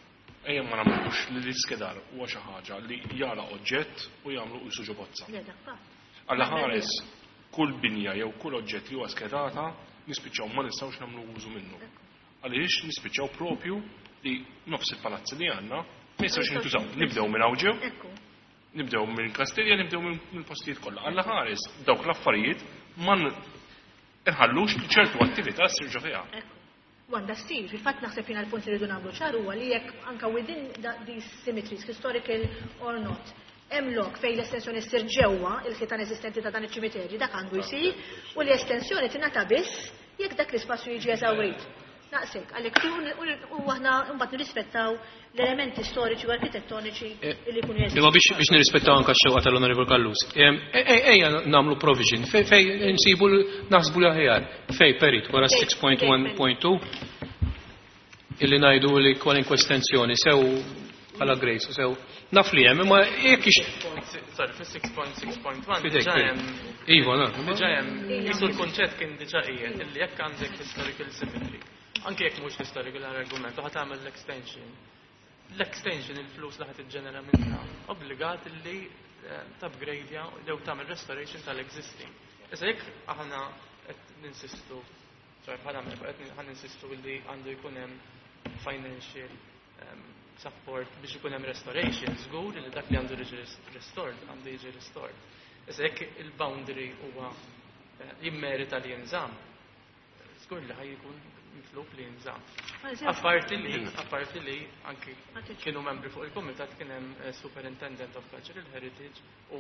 Ejja ma nagħmlux li l-iskedar huwa xi ħaġa li jara oġġett u jagħmlu qisu ġo bozza. Alla ħares kull binja jew kull oġġett li huwa skedata nispiċċaw ma nistgħux nagħmlu użu minnu. Għaliex nispiċċaw propju li nofs il-palazzi li għandna ma jistgħux jintużaw. Nibdew minn hawn ġew, nibdew minn Kastilja, nibdew minn postijiet kollha. Alla ħares dawk l-affarijiet ma nħallux li ċertu attività ssir ġo fiha. U għandha ssir, fil-fatt naħseb jiena l-punt li rridu nagħmlu ċar huwa li jekk anke within these cemeteries, historical or not, hemm lok fejn l-estensjoni ssir ġewwa il-ħitan eżistenti ta' dan iċ-ċimiterji, dak għandu jsir u li estensjoni tingħata biss jekk dak l-ispazju jiġi eżawrit. Naqsek, għalhekk u aħna mbagħad nirrispettaw l-elementi storiċi u arkitettoniċi li jkunu jeżistu. Imma biex nirrispettaw anke x-xewqa tal-Onorevol Callus, ejja nagħmlu provision fej nsibu naħsbu l-aħjar, fej perit wara 6.1.2 illi ngħidu li kwalinkwe estensjoni sew bħala Grace sew naf li hemm imma jekk ix Sorry, fis-6.6.1 Fidejk, diġà fidejk. hemm Iva, na. Diġà hemm qisu l-kunċett kien diġà qiegħed illi jekk għandek historical cemetery, anke jekk mhux historical argument, u ħa tagħmel l-extension. L-extension il-flus li ħa tiġġenera minnha obbligat illi tupgradeja jew tagħmel restoration tal-existing. Issa jekk aħna qed ninsistu, sorry, bħala membru qed ħa ninsistu illi għandu jkun hemm financial support biex ikun hemm restoration, żgur li dak li għandu jiġi restored għandu jiġi restored. Issa jekk il-boundary huwa jimmerita li jinżamm, żgur li ħaj jkun mitlub li jinżamm. Apparti li anki kienu membri fuq il-kumitat kien hemm Superintendent of Cultural Heritage u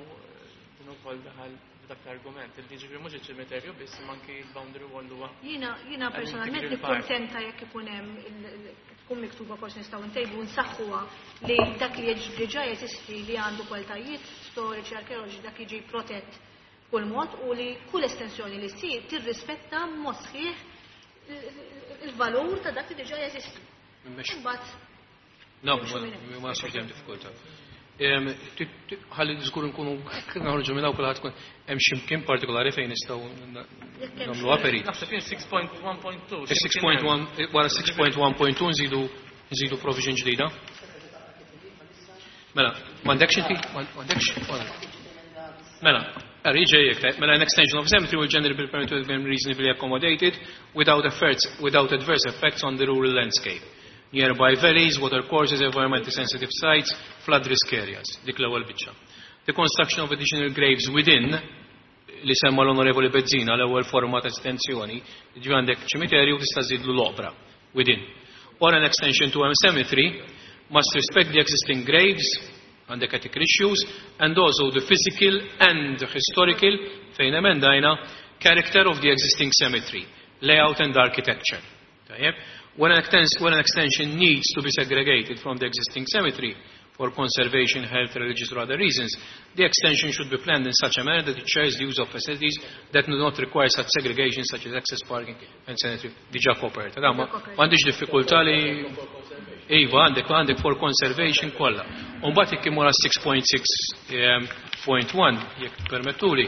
din ukoll daħal b'dak l-argument. Il jiġifieri mhux iċ-ċimiterju biss imma anki l-boundary wall huwa Jiena an personalment integral part. nikkontenta jekk ikun hemm tkun miktuba forsi nistgħu ntejbu nsaħħuha li dak li diġà jeżisti li għandu kwalitajiet storiċi, arkeoloġiċi, dak jiġi protett b'kull mod u li kull estensjoni li ssir tirrispetta mod sħiħ il-valur ta' dak li diġà jeżisti. Imbagħad No, ma naħsibx li hemm diffikultà. Ħalli żgur nkunu naħorġu minn hawn kulħadd tkun hemm xi mkien partikolari fejn nistgħu nagħmlu perit. Naħseb jien 6.1.2. 6.1, wara 6.1.2 nżidu provision ġdida. Mela, m'għandekx inti? M'għandekx? Mela, ġej mela an extension of cemetery will generally be permitted to be reasonably accommodated without adverse effects on the rural landscape. Nearby valleys, water courses, environmentally sensitive sites, flood risk areas. Dik l-ewwel biċċa. The construction of additional graves within, li semma l-Onorevoli Bezzina, l-ewwel forma ta' estensjoni, ġi għandek ċimiterju tista' żidlu l-oqbra within. Or an extension to a cemetery must respect the existing graves, għandek ethical issues, and also the physical and historical, fejn emendajna, character of the existing cemetery, layout and architecture. Tajjeb? When an extension needs to be segregated from the existing cemetery for conservation, health, religious or other reasons, the extension should be planned in such a manner that it shares the use of facilities that do not require such segregation, such as access parking and sanitary. Diġà koperta. Da, m'għandix diffikultà li Iva, għandek for conservation kollha. U mbagħad jekk imur għal 6.6.1, jekk permettuli.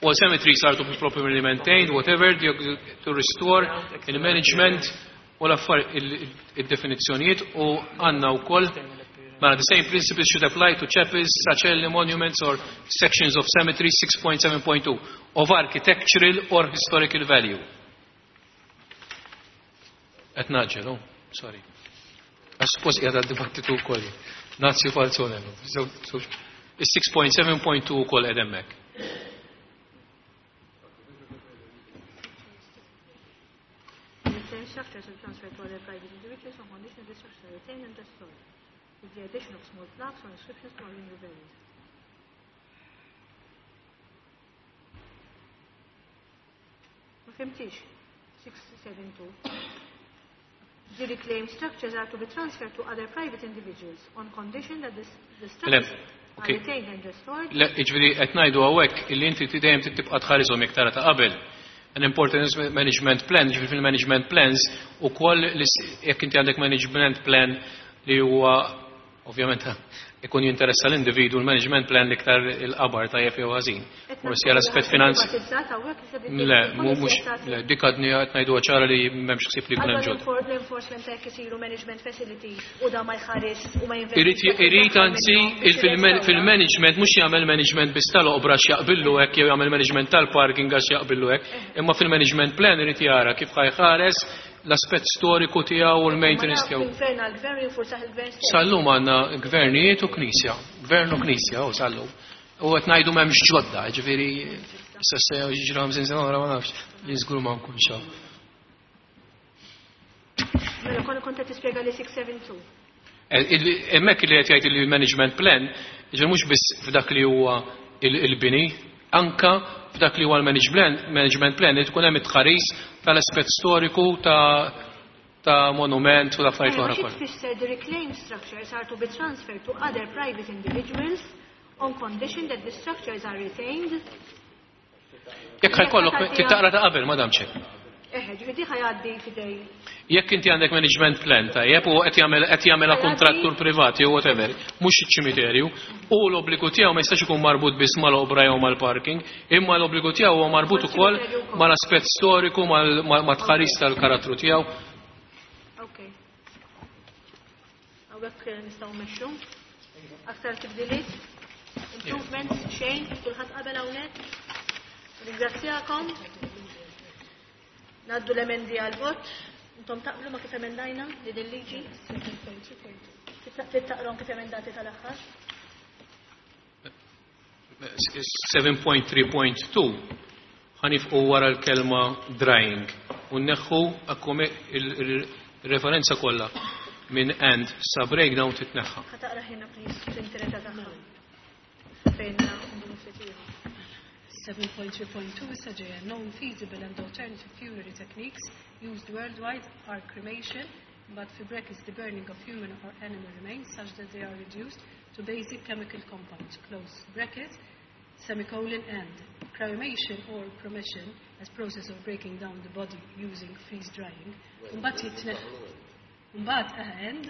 All cemeteries are to be properly maintained, whatever, to restore, in management, u l-affar il-definizzjonijiet u għandna wkoll mela the same principles should apply to chapels, sacelli, monuments or sections of cemeteries 6.7.2 of architectural or historical value. Qed naġġel, oh, sorry. Għax suppost qiegħed għad-dibattitu wkoll. Nazzi Falzone. Is-6.7.2 ukoll qed hemmhekk. Structures will transfer to other private individuals on condition that the structures are retained and restored, with the addition of small plaques or inscriptions to marking the values. Ma fhimtix. 672. The reclaimed structures are to be transferred to other private individuals on condition that the structures Le, are okay. retained and restored. Le, jiġifieri qed ngħidu hawnhekk illi inti dejjem tibqa' tħarisom jekk tara ta' qabel. An important management plan, jiġifieri fil-management plans ukoll jekk inti għandek management plan li huwa ovvjament ikun jinteressa l-individu l-management plan l-iktar il-qabar tajjeb jew ħażin. Forsi għal aspett finanzi. Le, mhux le, dik għadni qed ngħidu ċara li m'hemmx ħsieb li jkun hemm ġod. L-enforcement hekk isiru management facilities u da ma jħares u ma jinvesti. Irid anzi fil-management mhux jagħmel management biss tal-oqbra x'jaqbillu hekk jew jagħmel management tal-parking għax jaqbillu hekk, imma fil-management plan irid jara kif ħajħares l-aspett storiku tiegħu u l-maintenance tiegħu. Gvern għal gvern jinfurzah il-gvern stess. Sal-lum għandna gvernijiet u knisja, gvern u knisja u sal-lum. U qed ngħidu m'hemmx ġodda, ġifieri issa se jiġri 50 sena oħra ma nafx li żgur ma nkunx hawn. Mela konna kont qed tispjega li 672. Hemmhekk li qed jgħid li management plan, ġifieri mhux biss f'dak li huwa il-bini, anka f'dak li huwa l-management plan li tkun hemm it-tħaris tal-aspett storiku ta' monument u l-affarijiet oħra kollha. Tfisser the reclaimed structures are to be transferred to other private individuals on condition that the structures are retained. Jekk ħajkollok titaqra ta' qabel, madam Chair. Eħe, ġifieri ħajgħaddi fidej. Jekk inti għandek management plan tajjeb u qed jagħmel qed jagħmilha kontrattur privat jew whatever, mhux iċ-ċimiterju, u l-obbligu tiegħu ma jistax ikun marbut biss mal-obra jew mal-parking, imma l-obbligu tiegħu huwa marbut ukoll mal-aspett storiku, mat-tħaris tal-karattru tiegħu. Ok. Hawnhekk nistgħu mmexxu. Aktar tibdiliet? Improvements xejn, kulħadd qabel hawnhekk. Ringrazzjakom. Naddu l-emendi għal-vot. Intom taqblu ma kif emendajna li din liġi? Taqrom kif emendati tal-aħħar? 7.3.2 ħanifqu wara l-kelma drying u nneħħu il-referenza kollha minn and sa breakdown titneħħa. Ħa taqra ħina please fl-interesa tagħha. Fejn ndumu ftit ieħor. 7.3.2 issa ġejja known feasible and alternative funerary techniques used worldwide are cremation, but fi brackets the burning of human or animal remains such that they are reduced to basic chemical compounds, close bracket, semicolon and cremation or promession as process of breaking down the body using freeze drying. Mbagħad jitneħ Mbagħad and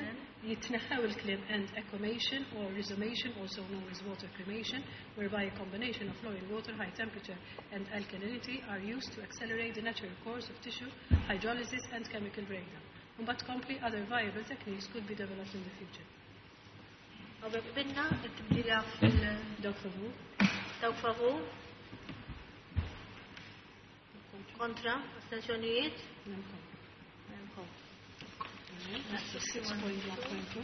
jitneħħew il-kliem and aquamation or resomation, also known as water cremation, whereby a combination of flowing water, high temperature and alkalinity are used to accelerate the natural course of tissue hydrolysis and chemical breakdown. Mbagħad kompli other viable techniques could be developed in the future. Hawnhekk binna it-tibdila fil Dawk favur. Dawk favur. Kontra, astensjonijiet? Memkom. 6.1.2.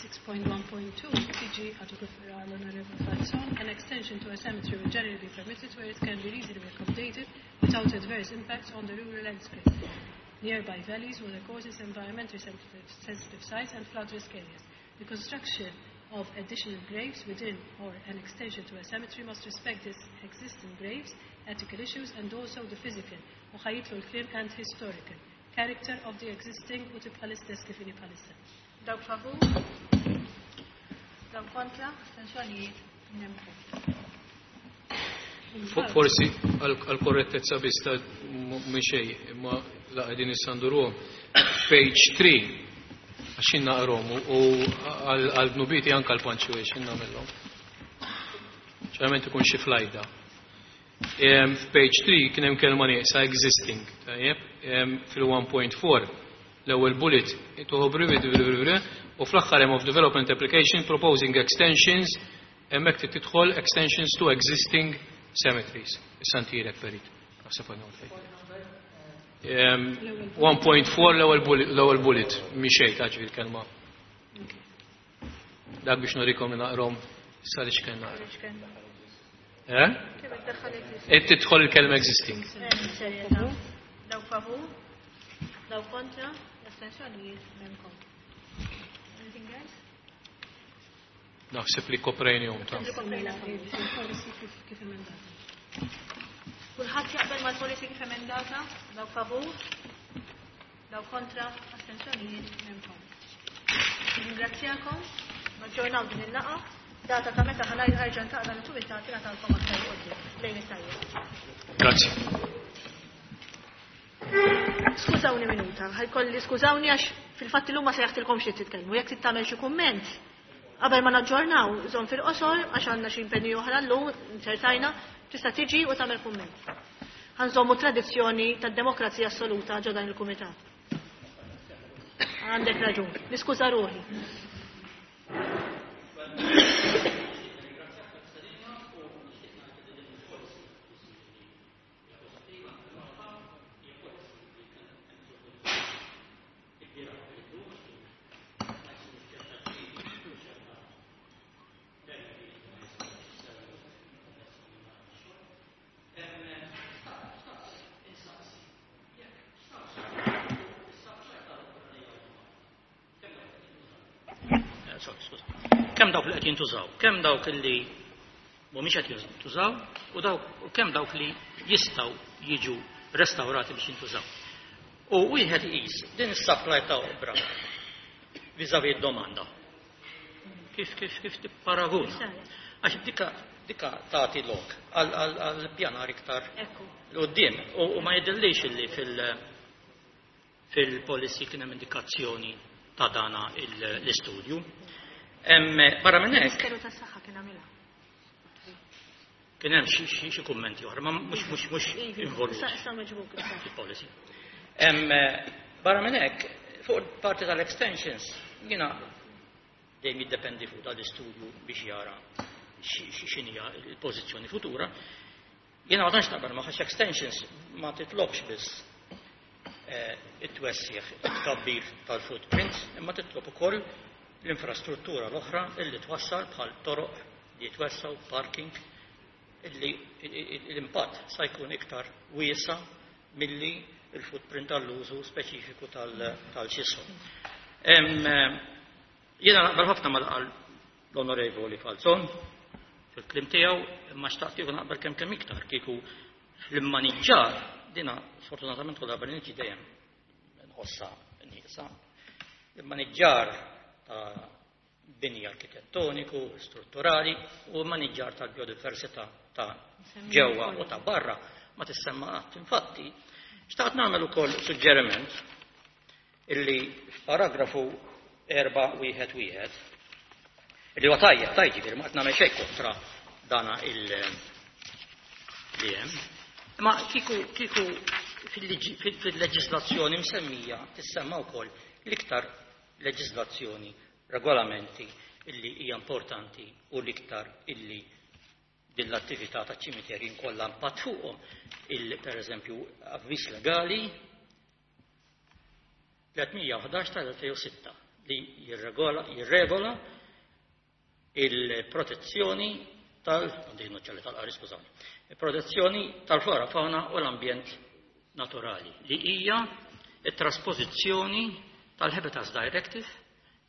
6.1.2 tiġi għadu kif l-Onorevole Falzon, an extension to a cemetery will generally be permitted where it can be reasonably accommodated without adverse impacts on the rural landscape, nearby valleys, watercourses, environmentally sensitive sites and flood risk areas. The construction of additional graves within or an extension to a cemetery must respect the existing graves, ethical issues and also the physical, u ħa jitlu l-kliem and historical character of the existing u tibqa l-istess kif inhi bħalissa. Dawk favur? Dawk kontra? Astensjonijiet? Nemku. Forsi għal-korrettezza biss ta' minn xejn, imma la qegħdin issanduruhom. Page 3 għax jien naqrom u għal dnubiti anke l-punctuation nagħmilhom. Ċerament ikun xi flajda. F'page 3 kien hemm kelma nieqsa existing, tajjeb, fil-1.4 l-ewwel bullet u fl-aħħar hemm of development application proposing extensions, hemmhekk trid tidħol extensions to existing cemeteries. Issa ntirek perit. Naħseb għandna fejn. 1.4 l-ewwel bullet, mhi xejn ta' ġifieri kelma. Dak biex nurikom li naqrom issa li x'kien naqra. Eh? Qed tidħol il-kelma existing. Dawk favur, dawk kontra, astensjonijiet memkom. Anything else? Naħseb li koprejnihom ta' Il-policy kif emendata. Kulħadd jaqbel mal-policy kif emendata, dawk favur, dawk kontra, astensjonijiet memkom. Ringrazzjakom, naġġornaw din il-laqgħa. Data ta' meta ħa nerġa' niltaqa' dan il-kumitat nagħtalkom aktar quddiem. Lejl it-tajjeb. Grazie. Skużawni minuta, ħajkolli skużawni għax fil-fatt illum ma sejjaħtilkomx li titkellmu, jekk trid tagħmel xi kumment qabel ma naġġornaw, żomm fil-qosor għax għandna xi impenji oħra llum, inċertajna, tista' tiġi u tagħmel kumment. Ħa nżommu tradizzjoni tad-demokrazija assoluta ġo dan il-kumitat. Għandek raġun, niskuża ruħi. Kemm dawk li qed jintużaw, kemm dawk li mhumiex qed jintużaw u dawk u kemm dawk li jistgħu jiġu restawrati biex jintużaw. U wieħed iqis din is-supply ta' oqbra vis-à-vis d-domanda. Kif kif kif tipparaguna? Għax dika dika tagħti lok għal pjanar iktar 'l quddiem u ma jidhirlix illi fil fil-policy kien hemm indikazzjoni ta' dana l-istudju. Barra minn hekk. Ministeru tas-Saħħa kien għamilha. Kien hemm xi kummenti oħra, ma mhux mhux mhux involut. Fil-policy. Barra minn hekk, fuq il-parti tal-extensions, jiena dejjem jiddependi fuq dal-istudju biex jara x'inhija l-pożizzjoni futura. Jiena ma tantx naqbel ma' għax extensions ma titlobx biss it-twessigħ, it-tkabbir tal-footprint, imma titlob ukoll l-infrastruttura l-oħra illi twassal bħal toroq li jitwessgħu, parking, illi l-impatt sa jkun iktar wiesa' milli l-footprint għall-użu speċifiku tal-xisu. Jiena naqbel ħafna ma' qal l-Onorevoli Falzon fil-kliem tiegħu, imma xtaqt kieku naqbel kemm kemm iktar kieku fl-immaniġġar dina sfortunatament kull darba li niġi dejjem nħossha nieqsa. L-immaniġġar ta' bini arkitettoniku, strutturali u maniġġar tal-biodiversità ta' ġewwa u ta' barra ma tissemma qatt. Infatti, xtaqt nagħmel ukoll suġġeriment illi f'paragrafu 4 1 1 illi huwa tajjeb tajjeb ġifieri ma qed nagħmel xejn kontra dana il li hemm. Imma kieku kieku fil-leġiżlazzjoni msemmija tissemma wkoll l-iktar leġiżlazzjoni, regolamenti illi hija importanti u l-iktar illi din l-attività ta' ċimiterji nkollha impatt fuqhom, il per eżempju avviż legali 311 tal-2006 li jirregola jirregola il-protezzjoni tal għandi noċċali tal-qari skużawni, il-protezzjoni tal-flora fauna u l-ambjent naturali li hija it-trasposizzjoni tal-Habitats Directive,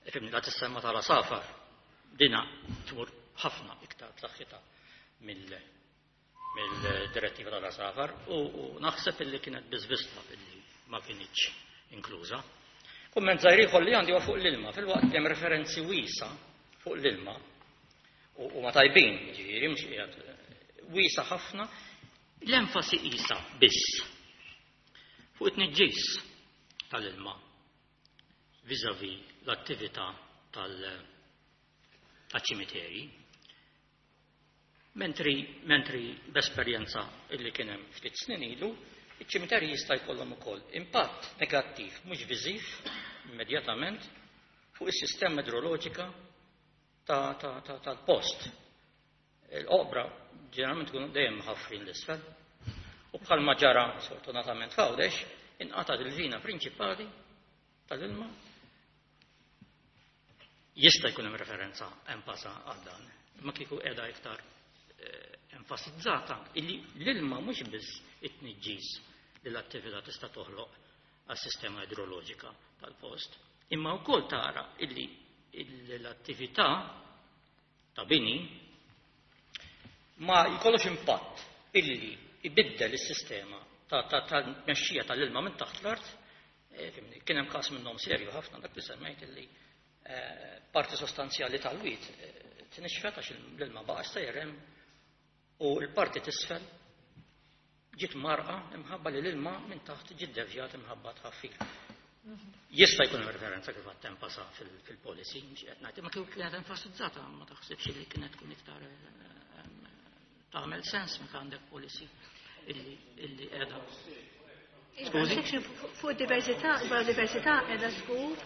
ifimni la tissemma tal-asafar, dina tmur ħafna iktar b'saħħitha mill-direttiva tal-asafar u naħseb illi kienet biżvista illi ma kinitx inkluża. Kumment żgħir ieħor li għandi huwa fuq l-ilma, filwaqt li hemm referenzi wiesa fuq l-ilma u ma tajbin, ġifieri mhux qiegħed wiesa ħafna, l-enfasi qisha biss fuq it-tniġġis tal-ilma vis-à-vis l-attività tal-ċimiterji. Mentri, mentri b'esperjenza illi kien hemm ftit snin ilu, iċ-ċimiterji jista' jkollhom ukoll impatt negattiv mhux viżiv immedjatament fuq is-sistema idroloġika tal-post. Il-oqbra ġeneralment ikunu dejjem ħafrin l-isfel u bħalma ġara sfortunatament f'Għawdex inqatgħet il-vina prinċipali tal-ilma. Jista' jkun hemm referenza enfasa għal dan, imma kieku qiegħda iktar enfasizzata illi l-ilma mhux biss it-tniġġis li l-attività tista' toħloq għas-sistema idroloġika tal-post, imma wkoll tara illi l-attività ta' bini ma jkollux impatt illi ibiddel is-sistema ta' tmexxija tal-ilma minn taħt l-art. Fimni, kien hemm każ minnhom serju ħafna dak li semmejt illi parti sostanzjali tal-wied tnixfet għax l-ilma baqa' sejjer hemm u l-parti t'isfel. ġiet marqa imħabba li l-ilma minn taħt ġiet devjat imħabba tħaffir. Jista' jkun hemm referenza kif għad tenfasa fil-policy, mhux qed ngħid, imma kieku kienet enfasizzata ma taħsibx li kienet tkun iktar tagħmel sens meta għandek policy illi qiegħda. Skużi? Fuq id-diversità, biodiversità qiegħda żgur.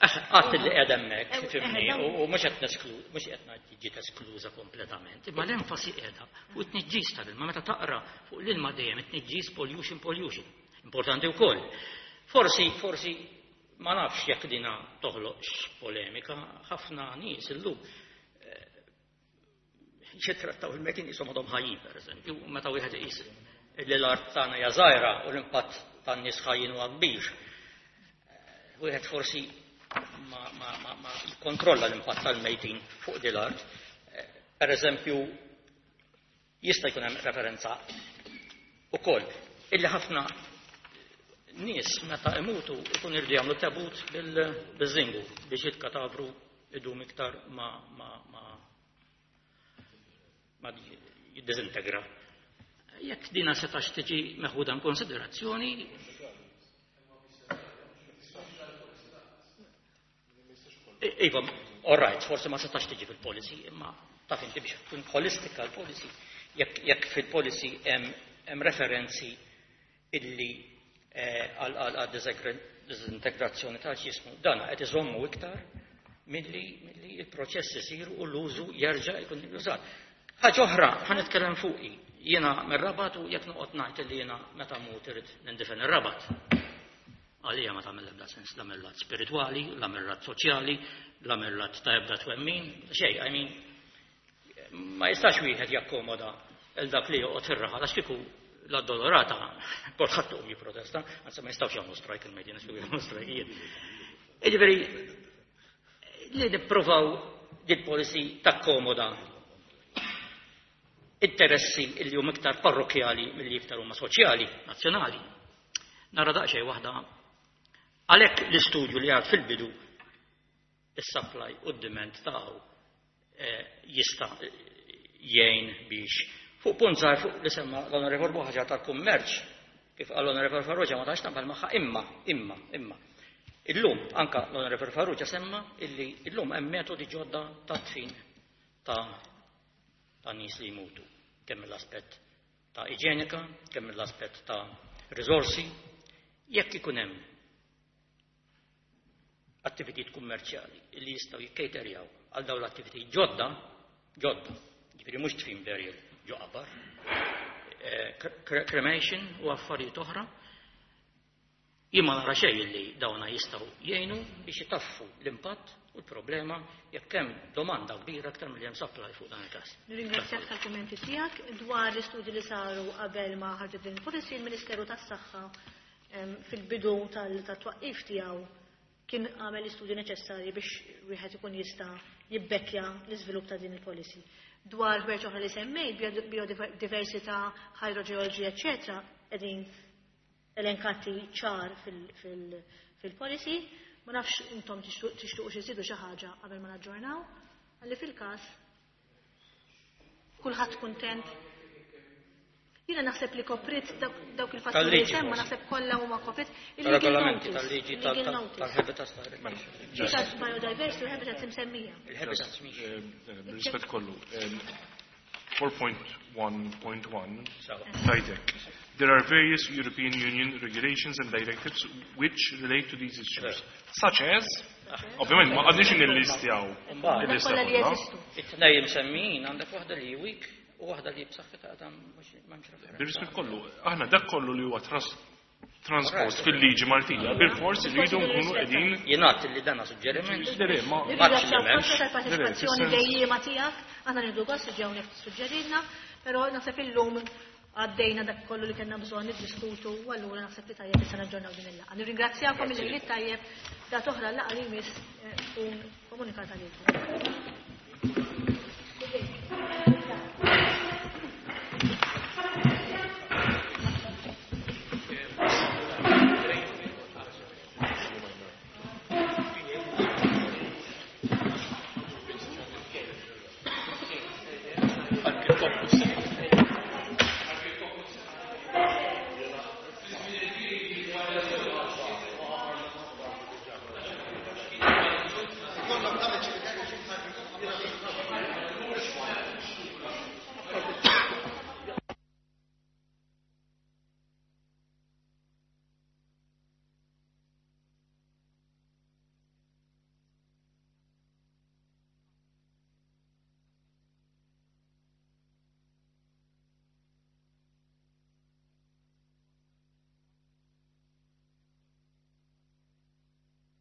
Għat li qiegħda hemmhekk, fimni, u mhux qed nesklu, mhux qed ngħid ġiet eskluża kompletament, imma l-enfasi qiegħda fuq it-tniġġis tal-ilma, meta taqra fuq l-ilma dejjem it-tniġġis pollution, pollution. Importanti wkoll. Forsi, forsi ma nafx jekk dina toħloqx polemika, ħafna nies illum jittrattaw il-metin jisom għadhom ħajjin, per eżempju, meta wieħed iqis li l-art tagħna hija żgħira u l-impatt tan-nies ħajjin huwa kbir. Wieħed forsi ma jikkontrolla l-impatt tal-mejtin fuq din l-art. Per eżempju, jista' jkun hemm referenza ukoll illi ħafna nies meta imutu ikun irdu jagħmlu tabut bil-żingu biex il-katavru idum iktar ma jiddisintegra. Jekk dina setax tiġi meħuda in konsiderazzjoni, Iva, all right, forsi ma setax tiġi fil-policy, imma taf inti biex tkun holistika l-policy, jekk fil-policy hemm referenzi illi għal disintegrazzjoni ta' ġismu, dan qed iżommu iktar milli il-proċess isir u l-użu jerġa' jkun użat. Ħaġa oħra, ħa nitkellem fuqi. Jiena mir-Rabat u jekk noqgħod ngħid li jiena meta mmut irid nindifen ir-Rabat. Għalija ma tagħmel ebda sens la mill-lat spiritwali, la mill-lat soċjali, la mill-lat ta' ebda twemmin, xejn, I mean, ma jistax wieħed jakkomoda il dak li joqgħod fir-raħal għax kieku la dolorata kulħadd tuqum jipprotesta, anzi ma jistgħux jagħmlu strajk il-medja, għax kieku jagħmlu strajkijiet. Jiġifieri li nippruvaw din policy takkomoda interessi li huma iktar parrokjali milli iktar huma soċjali, nazzjonali. Nara daqsxejn waħda għalhekk l-istudju li għad fil-bidu is-supply u d-demand tagħu jista' jgħin biex fuq punt żgħar fuq li semma l-Onorevol Buħaġa tal-kummerċ, kif qal l-Onorevol Farrugia ma tantx naqbel magħha, imma, imma, imma. Illum anka l-Onorevol Farrugia semma illi illum hemm metodi ġodda ta' tfin ta' nies li jmutu, kemm mill-aspett ta' iġenika, kemm mill-aspett ta' riżorsi, jekk ikun hemm attivitajiet kummerċjali li jistgħu jikkejterjaw għal dawn l-attivitajiet ġodda, ġodda, ġifieri mhux tfin burial ġo qabar, cremation u affarijiet oħra, jien ma nara xejn li dawna jistgħu jgħinu biex itaffu l-impatt u l-problema jekk hemm domanda kbira aktar milli hemm supply fuq dan il-każ. Nirringrazzjak tal-kummenti tiegħek dwar l-istudji li saru qabel ma ħarġet din il-policy, il-Ministeru tas-Saħħa fil-bidu tal-twaqqif tiegħu kien għamel l-istudji neċessarji biex wieħed ikun jista' jibbekkja l-iżvilupp ta' din il-policy. Dwar ħwejjeġ oħra li semmejt, biodiversità, hydrogeology, eċċetera, qegħdin elenkati ċar fil-policy. Ma nafx intom tixtuqu xi żidu xi ħaġa qabel ma naġġornaw, għalli fil-każ kulħadd kuntent. Jiena naħseb li koprit dawk il-fatturi Tal-liġi semma, forsi. naħseb kollha huma koprit. Tal-regolamenti, Il-legal notice, tal-liġi il-legal notice. tal-habitats tal-habitats. Ġitat biodiversity u habitats imsemmija. Il-habitats mhix. Rispett kollu. 4.1.1 Sawa. tajtek. There are various European Union regulations and directives which relate to these issues, such as, ovvjament, ma għadniex nillistjaw Imbagħad. il-lista Kollha li kollha. jeżistu. It-tnejn msemmijin għandek waħda li weak u waħda li b'saħħitha għadha mhux m'hemmx referenza. Bir-rispett kollu, aħna dak kollu li huwa transport fil-liġi Maltija, bil-fors irridu nkunu qegħdin Jingħad li dan suġġeriment. Le, le, ma Maċ li Nirringrazzjaw m'hemmx. ħafna tal-parteċipazzjoni Le, le, fis-sens dejjiema tiegħek, aħna nieħdu gost li ġew hawnhekk tissuġġerilna, però naħseb illum għaddejna dak kollu li kellna bżonn niddiskutu u allura naħseb li tajjeb issa naġġornaw din il-laqgħa. Nirringrazzjakom il-lejl tajjeb, dat oħra l-laqgħa li jmiss tkun komunikata lilkom.